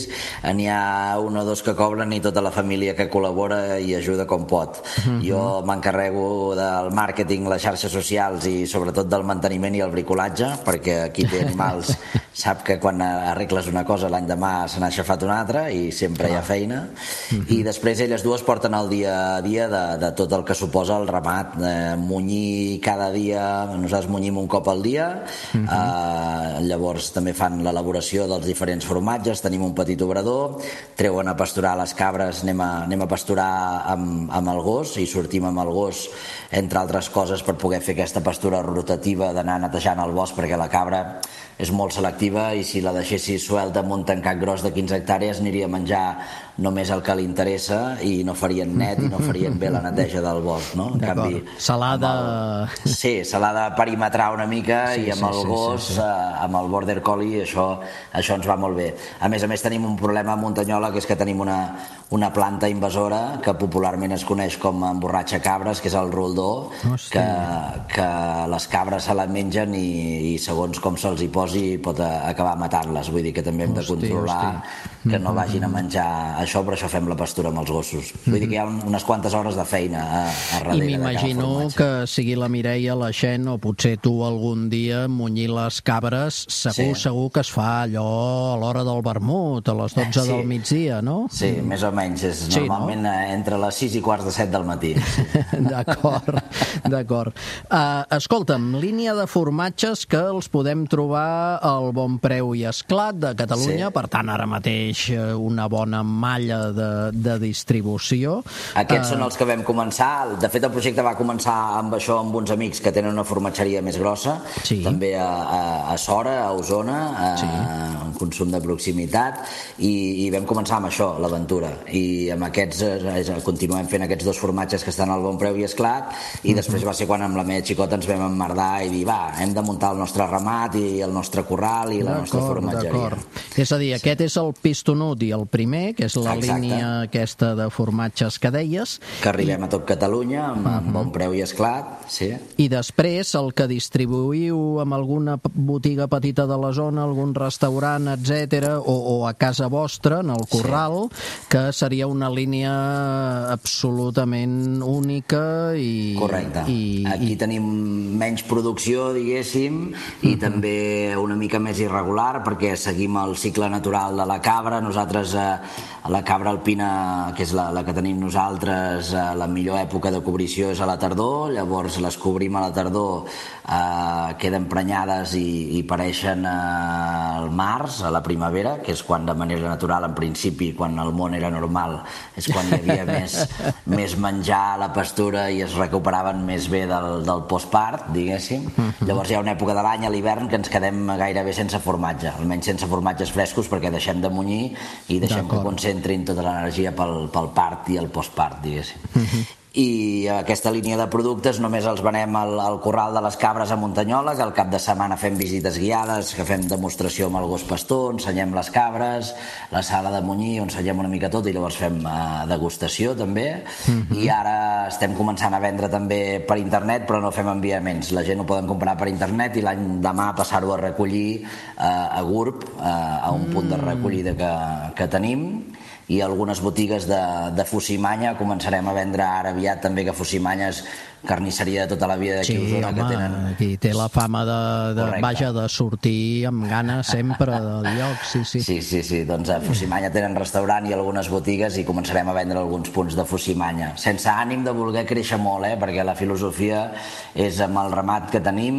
N'hi ha un o dos que cobren i tota la família que col·labora i ajuda com pot. Uh-huh. Jo m'encarrego del màrqueting, les xarxes socials i sobretot del manteniment i el bricolatge, perquè qui té animals sap que quan arregles una cosa l'any demà se n'ha aixafat una altra i sempre hi ha feina. Uh-huh. I després elles dues porten el dia a dia de, de tot el que suposa el ramat, de munyir cada dia, nosaltres munyim un cop al dia, uh-huh. eh, llavors també fan l'elaboració dels diferents formatges, tenim un petit obrador, treuen a pasturar les cabres, anem a, anem a pasturar amb, amb el gos i sortim amb el gos, entre altres coses, per poder fer aquesta pastura rotativa d'anar netejant el bosc, perquè la cabra és molt selectiva i si la deixessis suelta amb un tancat gros de quinze hectàrees aniria a menjar només el que li interessa i no farien net i no farien bé la neteja del bosc, no? En canvi, s'ha de... Sí, se l'ha de perimetrar una mica sí, i amb sí, el sí, gos, sí, sí. Eh, amb el border collie, això, això ens va molt bé. A més a més tenim un problema a Muntanyola, que és que tenim una, una planta invasora que popularment es coneix com emborratxa cabres, que és el roldó, que, que les cabres se la mengen i, i segons com se'ls hi posi pot acabar matant-les. Vull dir que també hem de controlar hosti. Que no vagin a menjar això, però això fem la pastura amb els gossos. Vull dir que hi ha unes quantes hores de feina a, a darrere. I m'imagino que sigui la Mireia, la Xen, o potser tu algun dia munyir les cabres, segur, sí. segur que es fa allò a l'hora del vermut, a les dotze sí. del migdia, no? Sí, més o menys. És sí, normalment no? entre les sis i quarts de set del matí. D'acord, d'acord. Uh, escolta'm, línia de formatges que els podem trobar al Bon Preu i Esclat de Catalunya, sí. per tant, ara mateix una bona malla de, de distribució. Aquests uh... són els que vam començar. De fet, el projecte va començar amb això, amb uns amics que tenen una formatgeria més grossa, sí. també a, a, a Sora, a Osona, a, sí. un consum de proximitat, i, i vam començar amb això, l'aventura. I amb aquests eh, continuem fent aquests dos formatges que estan al Bon Preu i Esclat, i uh-huh. després va ser quan amb la meva xicota ens vam emmerdar i dir, va, hem de muntar el nostre ramat i el nostre corral i la nostra formatgeria. És a dir, sí. aquest és el pistonut i el primer, que és la Exacte. línia aquesta de formatges que deies. Que arribem I... a tot Catalunya, amb, uh-huh. amb Bon Preu i Esclat, sí. I després el que distribuïu amb alguna botiga petita de la zona, algun restaurant, etcètera, o, o a casa vostra, en el corral, sí. que seria una línia absolutament única i... Correcte. I, Aquí i... tenim menys producció, diguéssim, i uh-huh. també una mica més irregular, perquè seguim el cicle natural de la cabra. Nosaltres, eh, la cabra alpina, que és la, la que tenim nosaltres, eh, la millor època de cobrició és a la tardor, llavors les cobrim a la tardor, eh, queden prenyades i, i pareixen eh, al març, a la primavera, que és quan de manera natural, en principi, quan el món era normal, és quan hi havia més, més menjar a la pastura i es recuperaven més bé del, del postpart, diguéssim. Llavors hi ha una època de l'any, a l'hivern, que ens quedem gairebé sense formatge, almenys sense formatges frescos, perquè deixem de munyir i deixem que concentrin tota l'energia pel, pel part i el postpart, diguéssim. Uh-huh. I aquesta línia de productes només els venem al, al corral de les cabres a Muntanyola, que al cap de setmana fem visites guiades, que fem demostració amb el gos pastor, ensenyem les cabres, la sala de munyir, on ensenyem una mica tot i llavors fem uh, degustació també. Uh-huh. I ara estem començant a vendre també per internet, però no fem enviaments. La gent ho poden comprar per internet i l'any demà passar-ho a recollir uh, a Gurb, uh, a un mm. punt de recollida que, que tenim. I algunes botigues de, de Fusimanya començarem a vendre ara aviat també, que Fusimanya és carnisseria de tota la vida d'aquí sí, a Osona, home, que tenen... aquí té la fama de, de vaja, de sortir amb ganes sempre del lloc, sí, sí. Sí, sí, sí, doncs a Fusimanya tenen restaurant i algunes botigues i començarem a vendre alguns punts de Fusimanya, sense ànim de voler créixer molt, eh? Perquè la filosofia és amb el ramat que tenim,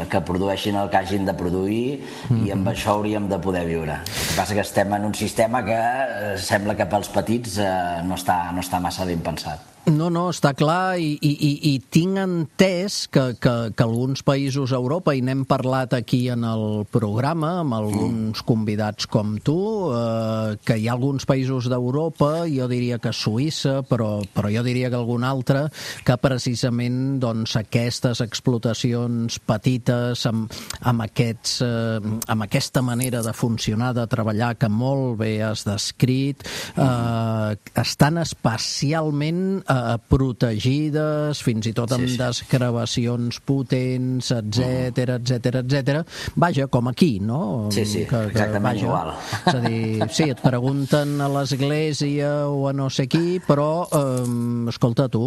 que produeixin el que hagin de produir mm-hmm. i amb això hauríem de poder viure. El que passa que estem en un sistema que eh, sembla que pels petits eh, no, està, no està massa ben pensat. No, no, està clar, i, i, i, i tinc entès que, que, que alguns països a Europa, i n'hem parlat aquí en el programa amb alguns mm. convidats com tu, eh, que hi ha alguns països d'Europa, jo diria que Suïssa, però, però jo diria que algun altre, que precisament doncs, aquestes explotacions petites, amb, amb, aquests, eh, amb aquesta manera de funcionar, de treballar, que molt bé has descrit, eh, estan especialment protegides, fins i tot amb sí, sí. desgravacions potents, etcètera, etcètera, etcètera. Vaja, com aquí, no? Sí, sí, que, que, exactament vaja, igual. És a dir, sí, et pregunten a l'església o a no sé qui, però, eh, escolta, tu,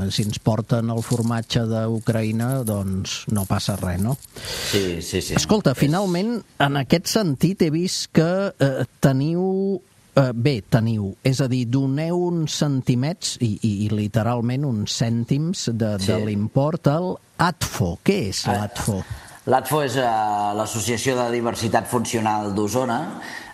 si ens porten el formatge d'Ucraïna, doncs no passa res, no? Sí, sí, sí. Escolta, finalment, en aquest sentit, he vist que eh, teniu Uh, bé, teniu, és a dir, doneu uns centimets i, i, i literalment uns cèntims de, sí. de l'import al A D F O. Què és l'A D F O? L'A D F O és uh, l'Associació de Diversitat Funcional d'Osona,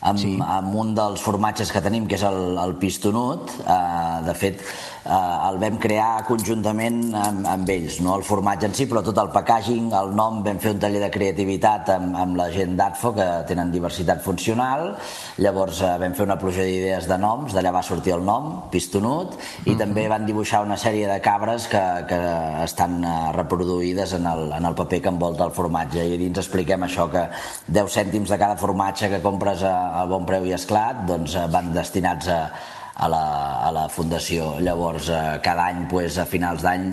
amb, sí. amb un dels formatges que tenim, que és el, el pistonut. Uh, de fet, uh, el vam crear conjuntament amb, amb ells, no el formatge en si, però tot el packaging, el nom, vam fer un taller de creativitat amb, amb la gent d'A D F O, que tenen diversitat funcional. Llavors uh, vam fer una pluja d'idees de noms, d'allà va sortir el nom, pistonut, i uh-huh. també van dibuixar una sèrie de cabres que, que estan uh, reproduïdes en el, en el paper que envolta el formatge. I dins expliquem això, que deu cèntims de cada formatge que compres a al Bon Preu i Esclat doncs, van destinats a, a, la, a la Fundació. Llavors, cada any, pues, a finals d'any,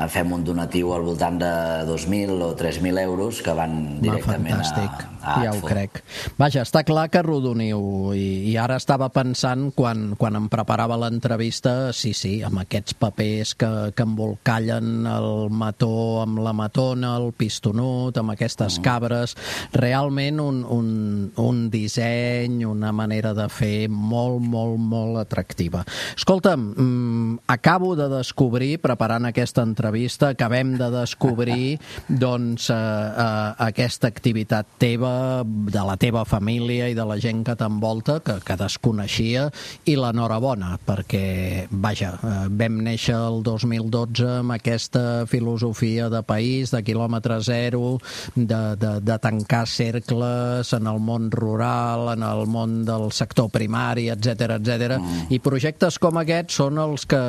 fem un donatiu al voltant de dos mil o tres mil euros que van directament Va, a, a ja ho crec. Vaja, està clar que rodoniu, i, i ara estava pensant, quan, quan em preparava l'entrevista, sí, sí, amb aquests papers que, que embolcallen el mató amb la matona, el pistonut, amb aquestes mm. cabres, realment un, un, un disseny, una manera de fer molt, molt, molt atractiva. Escolta'm, mm, acabo de descobrir, preparant aquesta entrevista, acabem de descobrir doncs, eh, eh, aquesta activitat teva, de la teva família i de la gent que t'envolta, que, que desconeixia, i l'enhorabona, perquè, vaja, eh, vam néixer el dos mil dotze amb aquesta filosofia de país, de quilòmetre zero, de, de, de tancar cercles en el món rural, en el món del sector primari, etcètera, etcètera, mm. i projectes com aquests són els que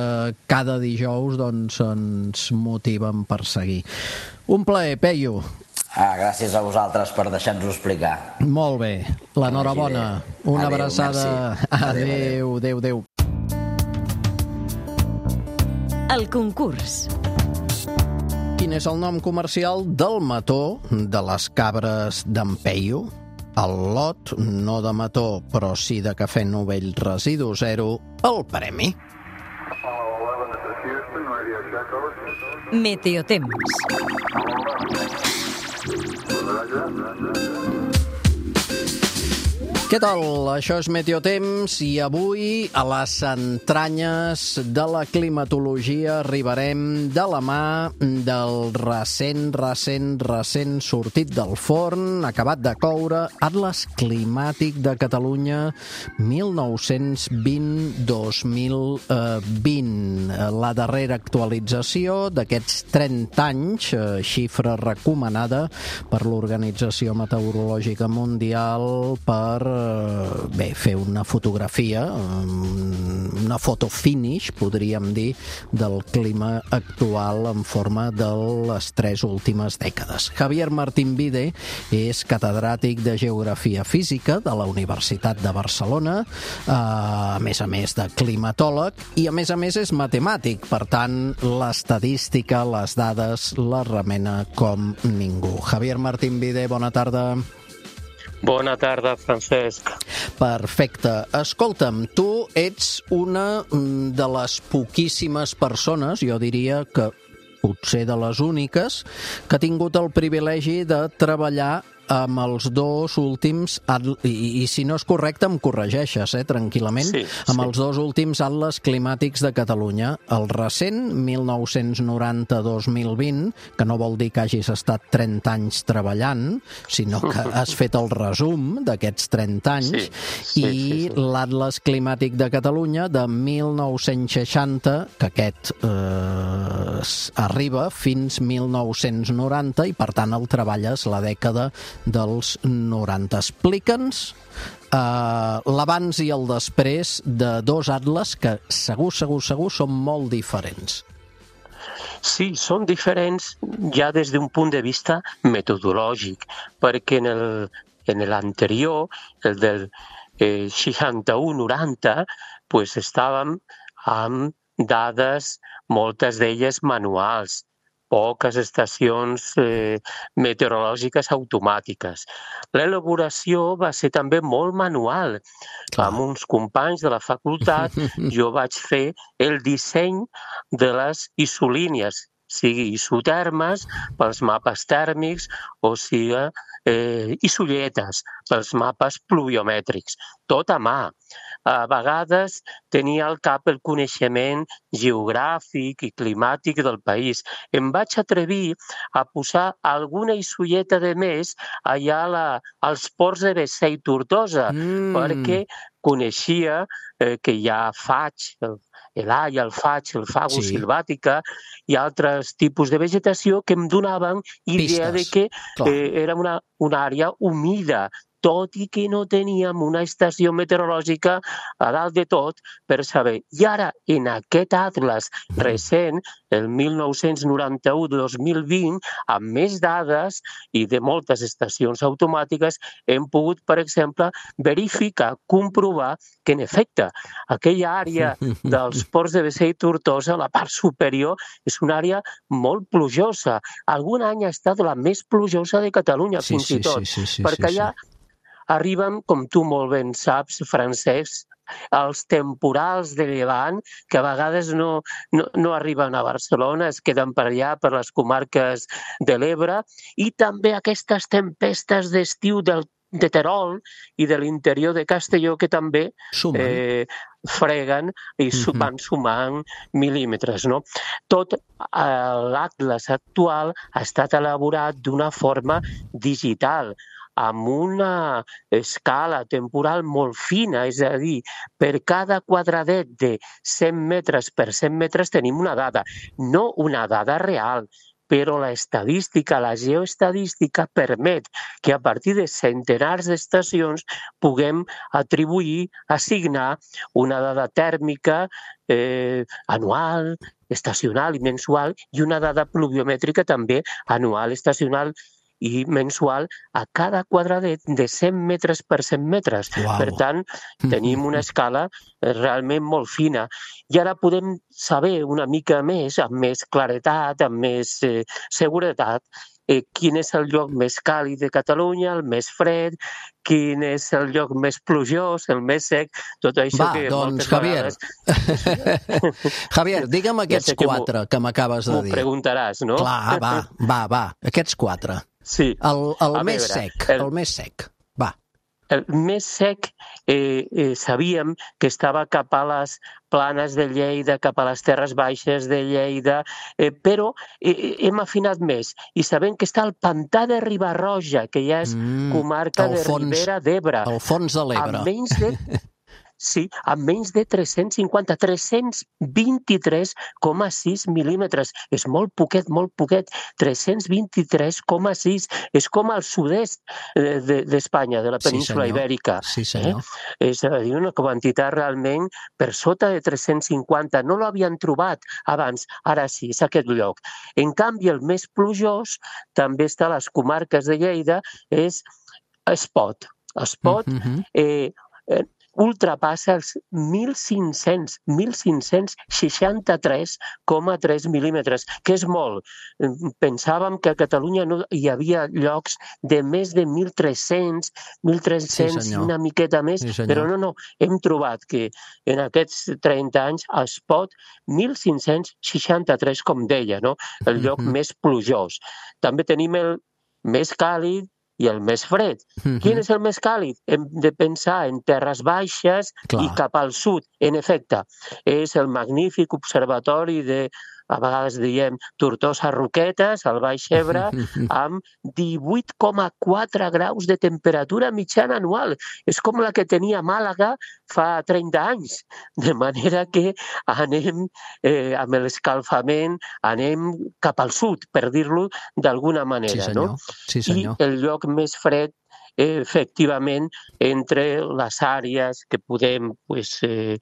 cada dijous doncs, ens motiven per seguir. Un plaer, Peyu. Ah, gràcies a vosaltres per deixar-nos-ho explicar. Molt bé. L'enhorabona. Una adéu, abraçada. Adéu, adéu, adéu. El concurs. Quin és el nom comercial del mató de les cabres d'en Peyu? El lot, no de mató, però sí de cafè novell residu zero, el premi. Meteotemps. Què tal? Això és Meteotemps i avui a les entranyes de la climatologia arribarem de la mà del recent, recent, recent sortit del forn, acabat de coure, Atles Climàtic de Catalunya mil nou-cents vint a dos mil vint. La darrera actualització d'aquests trenta anys, xifra recomanada per l'Organització Meteorològica Mundial per bé, fer una fotografia, una foto finish, podríem dir, del clima actual en forma de les tres últimes dècades. Javier Martín Vide és catedràtic de Geografia Física de la Universitat de Barcelona, a més a més de climatòleg, i a més a més és matemàtic, per tant, l'estadística, les dades, la remena com ningú. Javier Martín Vide, bona tarda. Bona tarda, Francesc. Perfecte. Escolta'm, tu ets una de les poquíssimes persones, jo diria que potser de les úniques, que ha tingut el privilegi de treballar amb els dos últims, i, i si no és correcte em corregeixes, eh, tranquil·lament, sí, sí. amb els dos últims atles climàtics de Catalunya. El recent, mil nou-cents noranta a dos mil vint, que no vol dir que hagis estat trenta anys treballant, sinó que has fet el resum d'aquests trenta anys, sí, sí, i sí, sí. l'Atles Climàtic de Catalunya de mil nou-cents seixanta, que aquest eh, arriba fins mil nou-cents noranta, i per tant el treballes la dècada dels noranta. Explica'ns uh, l'abans i el després de dos atles que segur, segur, segur són molt diferents. Sí, són diferents ja des d'un punt de vista metodològic, perquè en el, en l'anterior, el del eh, seixanta-u noranta, pues estàvem amb dades, moltes d'elles manuals, poques estacions eh, meteorològiques automàtiques. L'elaboració va ser també molt manual. Clar. Amb uns companys de la facultat jo vaig fer el disseny de les isolínies, sigui isotermes pels mapes tèrmics o sigui eh, isolletes pels mapes pluviomètrics. Tot a mà. A vegades tenia al cap el coneixement geogràfic i climàtic del país. Em vaig atrevir a posar alguna isolleta de més allà a la, als ports de Bessè i Tortosa, mm. perquè coneixia eh, que hi ha faig, el, l'Aia, el faig, el fagus sí. silvàtica i altres tipus de vegetació que em donaven idea Pistes. de que eh, era una, una àrea humida, tot i que no teníem una estació meteorològica a dalt de tot per saber. I ara, en aquest atles recent, el mil nou-cents noranta-u de dos mil vint, amb més dades i de moltes estacions automàtiques, hem pogut, per exemple, verificar, comprovar que, en efecte, aquella àrea dels ports de Bessè i Tortosa, la part superior, és una àrea molt plujosa. Algun any ha estat la més plujosa de Catalunya, sí, fins sí, i tot, sí, sí, sí, perquè allà sí, sí. arriben, com tu molt ben saps, Francesc, els temporals de llevant, que a vegades no, no, no arriben a Barcelona, es queden per allà, per les comarques de l'Ebre, i també aquestes tempestes d'estiu del, de Terol i de l'interior de Castelló, que també eh, freguen i uh-huh. van sumant mil·límetres. No? Tot eh, l'atles actual ha estat elaborat d'una forma digital, amb una escala temporal molt fina, és a dir, per cada quadradet de cent metres per cent metres tenim una dada, no una dada real, però la estadística, la geoestadística permet que a partir de centenars d'estacions puguem atribuir, assignar una dada tèrmica eh, anual, estacional i mensual i una dada pluviomètrica també anual, estacional i mensual a cada quadradet de cent metres per cent metres. Wow. Per tant, tenim una escala realment molt fina. I ara podem saber una mica més, amb més claretat, amb més eh, seguretat, eh, quin és el lloc més càlid de Catalunya, el més fred, quin és el lloc més plujós, el més sec, tot això. Va, que doncs, Javier, vegades... Javier, digue'm aquests ja quatre que m'acabes de dir. M'ho preguntaràs, no? Clar, va, va, va, aquests quatre. Sí. El, el més veure, sec, el, el més sec, va. El més sec eh, eh, sabíem que estava cap a les planes de Lleida, cap a les terres baixes de Lleida, eh, però eh, hem afinat més i sabem que està al pantà de Riba-roja, que ja és mm, comarca de fons, Ribera d'Ebre. El fons de l'Ebre. Amb menys de... Sí, amb menys de tres-cents cinquanta, tres-cents vint-i-tres coma sis mil·límetres. És molt poquet, molt poquet. tres-cents vint-i-tres coma sis. És com al sud-est d'Espanya, de la península sí, ibèrica. Sí, senyor. Eh? És a dir, una quantitat realment per sota de tres-cents cinquanta. No l'havien trobat abans, ara sí, és aquest lloc. En canvi, el més plujós, també està a les comarques de Lleida, és Espot. Espot, mm-hmm. eh, eh, ultrapassa els mil cinc-cents seixanta-tres coma tres mil·límetres, que és molt. Pensàvem que a Catalunya no hi havia llocs de més de mil tres-cents, mil tres-cents i una miqueta més, sí, però no, no, hem trobat que en aquests trenta anys es pot mil cinc-cents seixanta-tres, com deia, no? El lloc mm-hmm. més plujós. També tenim el més càlid i el més fred. Mm-hmm. Quin és el més càlid? Hem de pensar en terres baixes Clar. I cap al sud. En efecte, és el magnífic observatori de, a vegades diem, Tortosa Roquetes, al Baix Ebre, amb divuit coma quatre graus de temperatura mitjana anual. És com la que tenia Màlaga fa trenta anys. De manera que anem eh, amb l'escalfament, anem cap al sud, per dir-lo d'alguna manera. Sí, senyor. No? Sí, senyor. I el lloc més fred, efectivament, entre les àrees que podem pues, eh,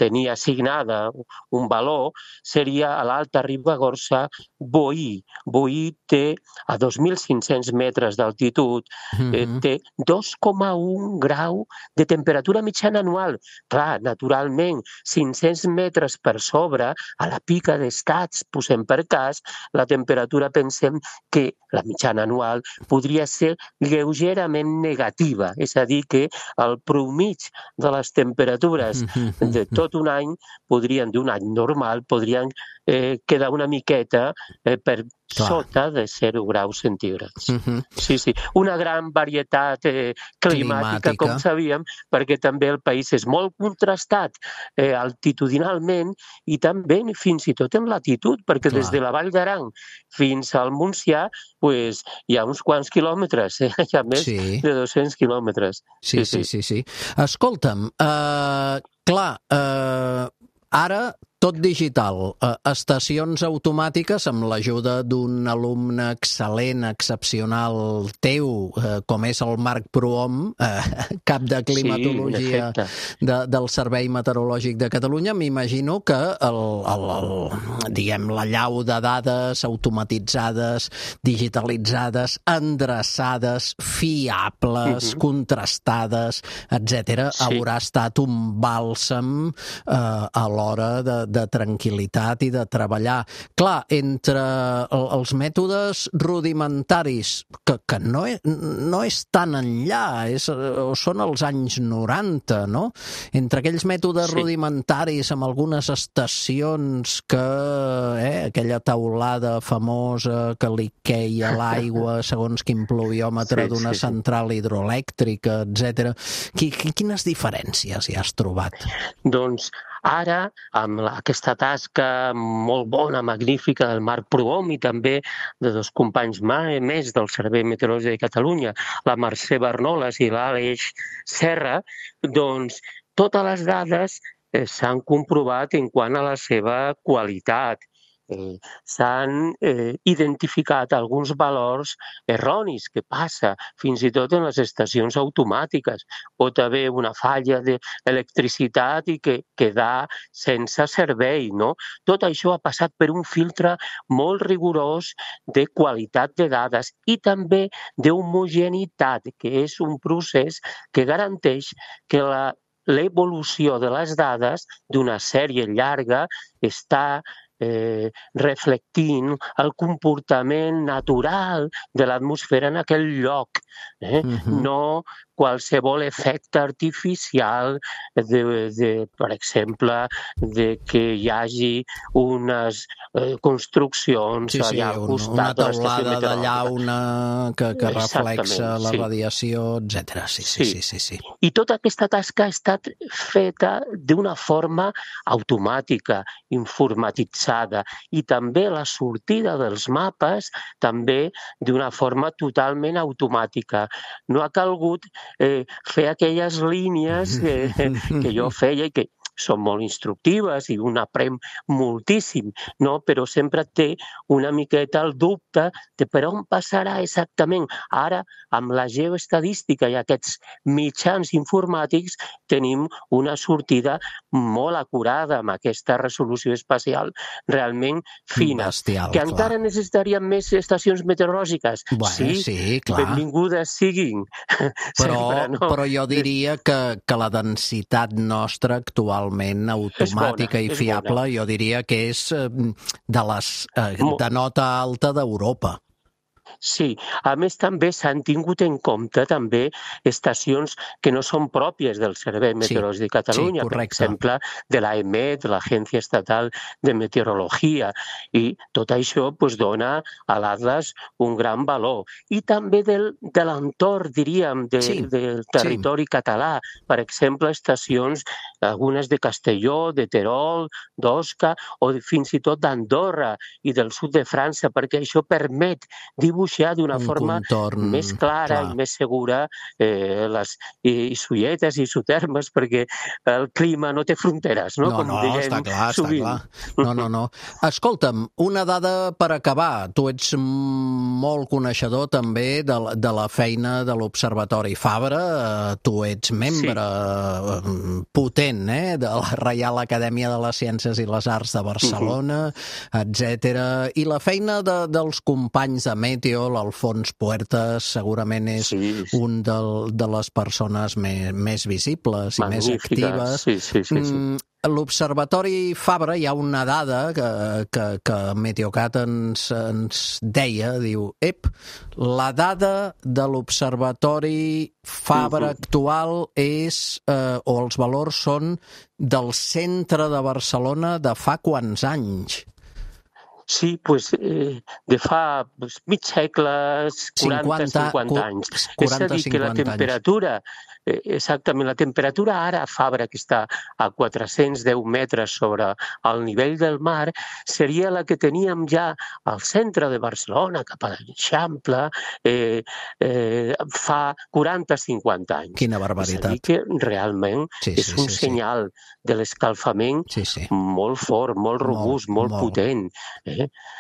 tenir assignada un valor, seria a l'Alta Ribagorça Boí. Boí té a dos mil cinc-cents metres d'altitud, eh, té dos coma un grau de temperatura mitjana anual. Clar, naturalment, cinc-cents metres per sobre, a la pica d'estats, posem per cas, la temperatura pensem que la mitjana anual podria ser lleugerament negativa, és a dir, que el promig de les temperatures de tot un any podrien, d'un any normal, podrien eh, quedar una miqueta eh, per Clar. Sota de zero graus centígrads. Uh-huh. Sí, sí. Una gran varietat eh, climàtica, climàtica, com sabíem, perquè també el país és molt contrastat eh, altitudinalment i també fins i tot en latitud, perquè Clar. Des de la Vall d'Aran fins al Montsià pues, hi ha uns quants quilòmetres, eh? Hi ha més sí. de dos-cents quilòmetres. Sí, sí, sí. sí, sí. Escolta'm, uh, clar, uh, ara tot digital, eh, estacions automàtiques amb l'ajuda d'un alumne excel·lent, excepcional teu, eh, com és el Marc Prohom, eh, cap de climatologia sí, de, del Servei Meteorològic de Catalunya. M'imagino que el, el, el, diguem, la llau de dades automatitzades, digitalitzades, endreçades, fiables, uh-huh. contrastades, etcètera, sí. haurà estat un bàlsam eh, a l'hora de de tranquil·litat i de treballar. Clar, entre els mètodes rudimentaris, que, que no, és, no és tan enllà, és, són els anys noranta, no? Entre aquells mètodes sí. rudimentaris amb algunes estacions que, eh, aquella taulada famosa que li queia l'aigua segons quin pluviòmetre sí, d'una sí, sí. central hidroelèctrica, etcètera. Quines diferències hi has trobat? Doncs ara, amb la, aquesta tasca molt bona, magnífica del Marc Prohom i també de dos companys més del Servei Meteorològic de Catalunya, la Mercè Barnoles i l'Aleix Serra, doncs totes les dades eh, s'han comprovat en quant a la seva qualitat. Eh, s'han eh, identificat alguns valors erronis que passa fins i tot en les estacions automàtiques. Pot haver una falla d'electricitat i que quedar sense servei, no? Tot això ha passat per un filtre molt rigorós de qualitat de dades i també d'homogeneïtat, que és un procés que garanteix que la, l'evolució de les dades d'una sèrie llarga està Eh, reflectint el comportament natural de l'atmosfera en aquell lloc. Eh? Uh-huh. No qualsevol efecte artificial, de, de, per exemple, de que hi hagi unes eh, construccions sí, sí, allà al costat una de l'estació taulada de meteorològica. llauna que, que reflexa la sí. radiació, etcètera. Sí, sí, sí, sí, sí. I tota aquesta tasca ha estat feta d'una forma automàtica, informatitzada, i també la sortida dels mapes també d'una forma totalment automàtica. No ha calgut eh, fer aquelles línies que, que jo feia i que són molt instructives i un aprèn moltíssim, no? Però sempre té una miqueta el dubte de per on passarà exactament. Ara, amb la geoestadística i aquests mitjans informàtics, tenim una sortida molt acurada amb aquesta resolució espacial realment fina. Bestial, que clar. encara necessitaríem més estacions meteorològiques. Bueno, sí, sí, clar. benvingudes siguin. Però, Sempre, no? però jo diria que, que la densitat nostra actualment automàtica És bona, i és fiable, bona. jo diria que és eh, de les eh, de nota alta d'Europa. Sí, a més també s'han tingut en compte també estacions que no són pròpies del Servei Meteorològic de Catalunya, sí, per exemple, de l'A E M E T, l'Agència Estatal de Meteorologia, i tot això pues, dona a l'Atlas un gran valor. I també del, de l'entorn, diríem, de, Sí, del territori sí. català, per exemple, estacions, algunes de Castelló, de Terol, d'Osca, o fins i tot d'Andorra i del sud de França, perquè això permet dibuixar d'una Un forma contorn, més clara clar. i més segura eh, les isoietes i isotermes, perquè el clima no té fronteres, no? No, Com no, diguem està clar, sovint. està clar. No, no, no. Escolta'm, una dada per acabar. Tu ets molt coneixedor també de la, de la feina de l'Observatori Fabra. Eh, Tu ets membre sí. potent eh, de la Reial Acadèmia de les Ciències i les Arts de Barcelona, uh-huh. etcètera. I la feina de, dels companys de Meteo, l'Alfons Puertas, segurament és sí. un del, de les persones més, més visibles i Magnífica. més actives. Sí, sí, sí, sí. Mm, l'Observatori Fabra, hi ha una dada que, que, que Meteocat ens, ens deia, diu, ep, la dada de l'Observatori Fabra uh-huh. actual és, eh, o els valors són del centre de Barcelona de fa quants anys? Sí, pues, eh, de fa pues, mig segle, quaranta cinquanta anys. És a dir, que la temperatura, eh, exactament, la temperatura ara a Fabra, que està a quatre-cents deu metres sobre el nivell del mar, seria la que teníem ja al centre de Barcelona, cap a l'Eixample, eh, eh, fa quaranta cinquanta anys. Quina barbaritat. És a dir, que realment sí, és sí, un sí, senyal sí. de l'escalfament sí, sí. molt fort, molt robust, molt, molt, molt potent. Eh?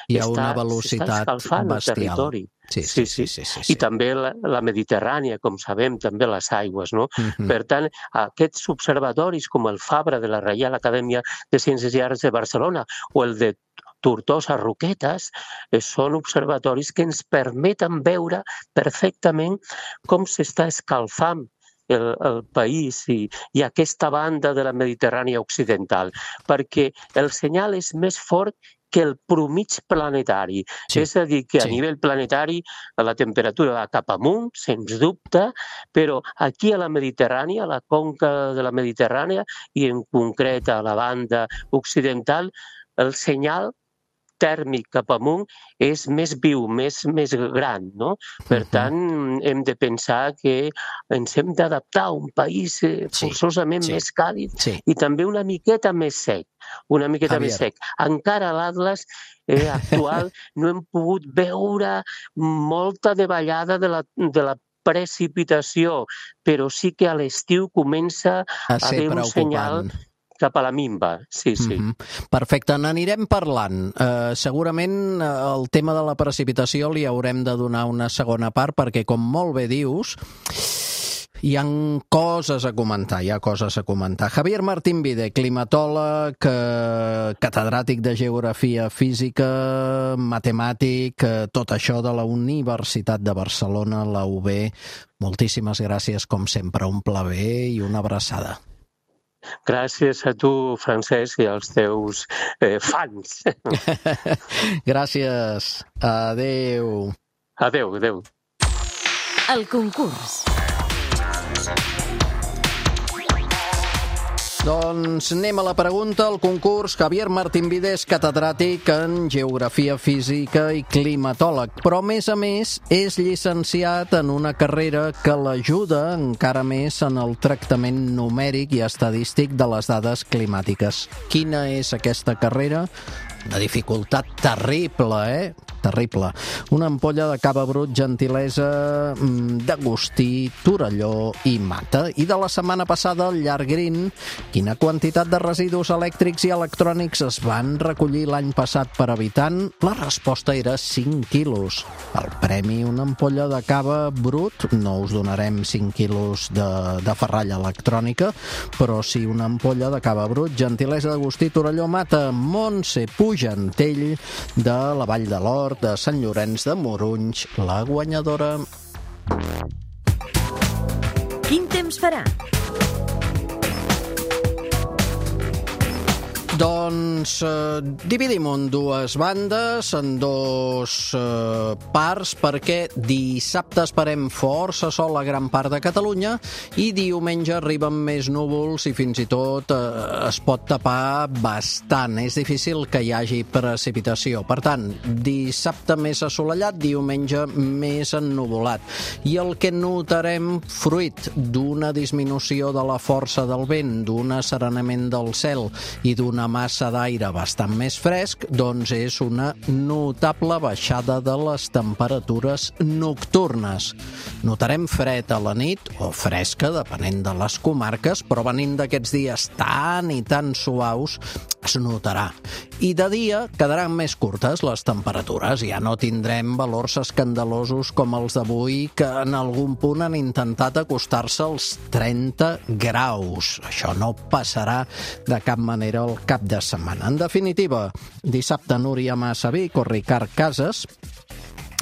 Hi ha està, una velocitat bestial. Sí, sí, sí, sí, sí, sí, sí. I també la, la Mediterrània, com sabem, també les aigües, no? Uh-huh. Per tant, aquests observatoris com el Fabra de la Reial Acadèmia de Ciències i Arts de Barcelona o el de Tortosa Roquetes eh, són observatoris que ens permeten veure perfectament com s'està escalfant El, el país i, i aquesta banda de la Mediterrània occidental, perquè el senyal és més fort que el promig planetari. Sí. És a dir, que a sí. nivell planetari la temperatura va cap amunt, sens dubte, però aquí a la Mediterrània, a la conca de la Mediterrània, i en concret a la banda occidental, el senyal tèrmic cap amunt és més viu, més, més gran, no? Per tant, hem de pensar que ens hem d'adaptar a un país forçosament sí, sí. més càlid sí. i també una miqueta més sec, una miqueta Javier. més sec. Encara a l'Atlas eh, actual no hem pogut veure molta davallada de la, de la precipitació, però sí que a l'estiu comença a, a haver un senyal cap a la minva, sí, sí. Mm-hmm. Perfecte, n'anirem parlant. Uh, segurament uh, el tema de la precipitació li haurem de donar una segona part perquè, com molt bé dius, hi ha coses a comentar, hi ha coses a comentar. Javier Martín Vide, climatòleg, eh, catedràtic de Geografia Física, matemàtic, eh, tot això de la Universitat de Barcelona, la U B. Moltíssimes gràcies, com sempre, un plaer i una abraçada. Gràcies a tu, Francesc, i als teus eh, fans. Gràcies. Adéu. Adéu, adéu. El concurs. Doncs anem a la pregunta, el concurs. Javier Martín Vide és catedràtic en Geografia Física i climatòleg, però a més a més és llicenciat en una carrera que l'ajuda encara més en el tractament numèric i estadístic de les dades climàtiques. Quina és aquesta carrera? Una dificultat terrible, eh? terrible. Una ampolla de cava brut, gentilesa d'Agustí, Torelló i Mata. I de la setmana passada, el Llargrin, quina quantitat de residus elèctrics i electrònics es van recollir l'any passat per habitant? La resposta era cinc quilos. El premi, una ampolla de cava brut, no us donarem cinc quilos de, de ferralla electrònica, però sí una ampolla de cava brut, gentilesa d'Agustí, Torelló, Mata. Montse Pujantell, de la Vall de l'Hort, de Sant Llorenç de Morunys, la guanyadora. Quin temps farà? Doncs eh, dividim en dues bandes, en dos eh, parts, perquè dissabte esperem força sol a gran part de Catalunya i diumenge arriben més núvols i fins i tot eh, es pot tapar bastant. És difícil que hi hagi precipitació. Per tant, dissabte més assolellat, diumenge més ennuvolat. I el que notarem, fruit d'una disminució de la força del vent, d'un asserenament del cel i d'una massa d'aire bastant més fresc, doncs és una notable baixada de les temperatures nocturnes. Notarem fred a la nit, o fresca, depenent de les comarques, però venint d'aquests dies tan i tan suaus, es notarà. I de dia quedaran més curtes les temperatures, ja no tindrem valors escandalosos com els d'avui, que en algun punt han intentat acostar-se als trenta graus. Això no passarà de cap manera al cap de setmana. En definitiva, dissabte Núria Massa Vic o Ricard Casas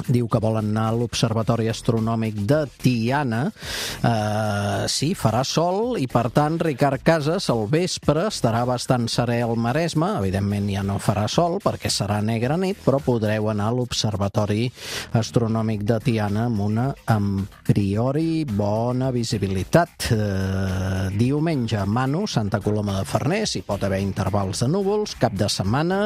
diu que volen anar a l'Observatori Astronòmic de Tiana. Uh, sí, farà sol i, per tant, Ricard Casas al vespre estarà bastant serè al Maresme. Evidentment ja no farà sol perquè serà negra nit, però podreu anar a l'Observatori Astronòmic de Tiana amb una, a priori, bona visibilitat. Uh, diumenge, Manu, Santa Coloma de Farners, hi pot haver intervals de núvols. Cap de setmana,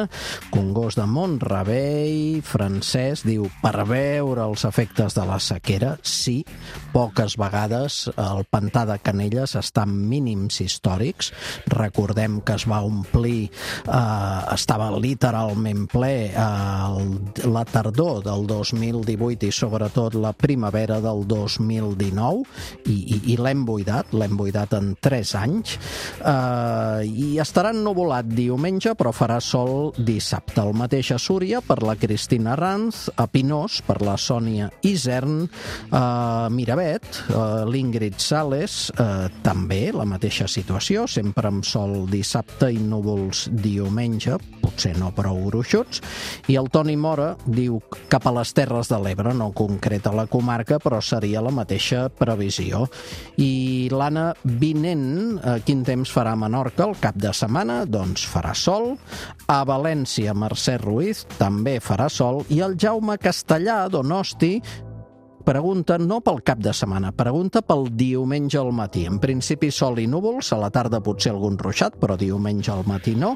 Congost de Mont-rebei. Francesc diu, per veure els efectes de la sequera, sí, poques vegades el pantà de Canelles està en mínims històrics. Recordem que es va omplir, eh, estava literalment ple eh, la tardor del dos mil divuit i sobretot la primavera del dos mil dinou i, i, i l'hem buidat, l'hem buidat en tres anys eh, i estarà ennuvolat diumenge, però farà sol dissabte. El mateix a Súria per la Cristina Ranz, a Pinós per la Sònia Isern, eh, Miravet, eh, l'Ingrid Sales, eh, també la mateixa situació, sempre amb sol dissabte i núvols diumenge, potser no prou gruixuts, i el Toni Mora diu cap a les Terres de l'Ebre, no concreta la comarca, però seria la mateixa previsió. I l'Anna Vinent, eh, quin temps farà a Menorca el cap de setmana? Doncs farà sol. A València, Mercè Ruiz, també farà sol, i el Jaume Castellà, Donosti, pregunta no pel cap de setmana, pregunta pel diumenge al matí. En principi sol i núvols, a la tarda potser algun ruixat, però diumenge al matí no.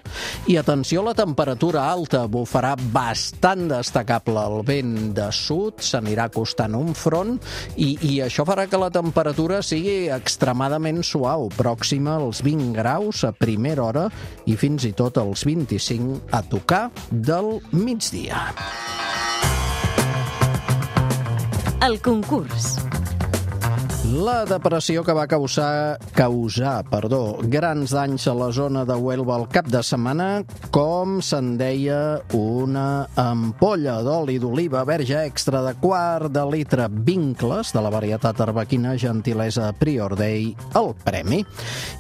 I atenció a la temperatura alta, bufarà bastant destacable el vent de sud, s'anirà acostant un front i, i això farà que la temperatura sigui extremadament suau, pròxima als vint graus a primera hora i fins i tot als vint-i-cinc a tocar del migdia. El concurs. La depressió que va causar, causar perdó, grans danys a la zona de Huelva el cap de setmana, com se'n deia, una ampolla d'oli d'oliva verge extra de quart de litre Vincles, de la varietat arbequina, gentilesa Prior Day, el premi.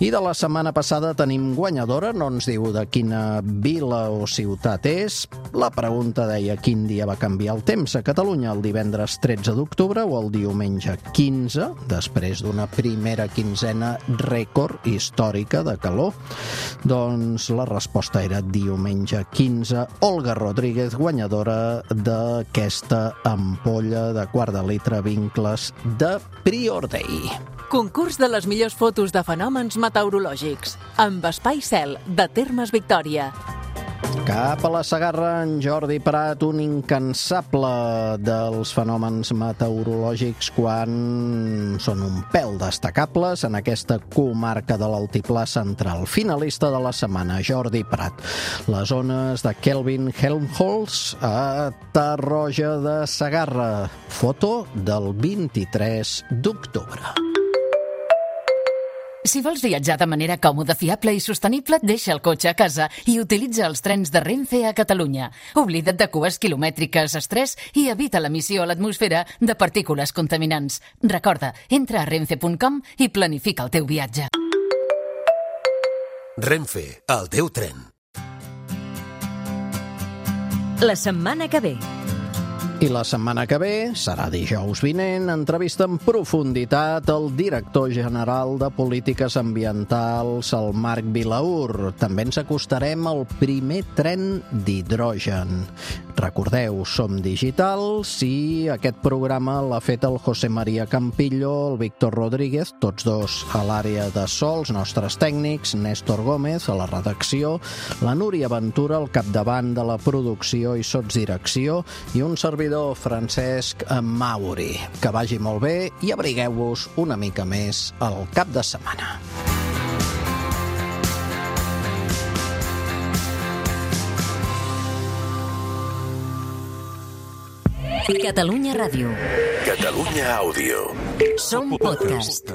I de la setmana passada tenim guanyadora, no ens diu de quina vila o ciutat és. La pregunta deia quin dia va canviar el temps a Catalunya, el divendres tretze d'octubre o el diumenge quinze, després d'una primera quinzena rècord històrica de calor. Doncs la resposta era diumenge quinze. Olga Rodríguez, guanyadora d'aquesta ampolla de quart de litre Vincles de Prior Day. Concurs de les millors fotos de fenòmens meteorològics amb Espai Cel, de Termes Victòria. Cap a la Segarra, en Jordi Prat, un incansable dels fenòmens meteorològics quan són un pèl destacables en aquesta comarca de l'Altiplà Central. Finalista de la setmana, Jordi Prat. Les ones de Kelvin Helmholtz a Tarroja de Segarra. Foto del vint-i-tres d'octubre. Si vols viatjar de manera còmoda, fiable i sostenible, deixa el cotxe a casa i utilitza els trens de Renfe a Catalunya. Oblida't de cues quilomètriques, estrès i evita l'emissió a l'atmosfera de partícules contaminants. Recorda, entra a renfe punt com i planifica el teu viatge. Renfe, el teu tren. La setmana que ve. I la setmana que ve, serà dijous vinent, entrevista en profunditat el director general de Polítiques Ambientals, el Marc Vilaur. També ens acostarem al primer tren d'hidrogen. Recordeu, som digitals i aquest programa l'ha fet el José María Campillo, el Víctor Rodríguez, tots dos a l'àrea de so, els nostres tècnics, Néstor Gómez a la redacció, la Núria Ventura al capdavant de la producció i sotsdirecció i un servidor, Francesc Mauri. Que vagi molt bé i abrigueu-vos una mica més al cap de setmana. Catalunya Ràdio. Catalunya Àudio. Som podcast.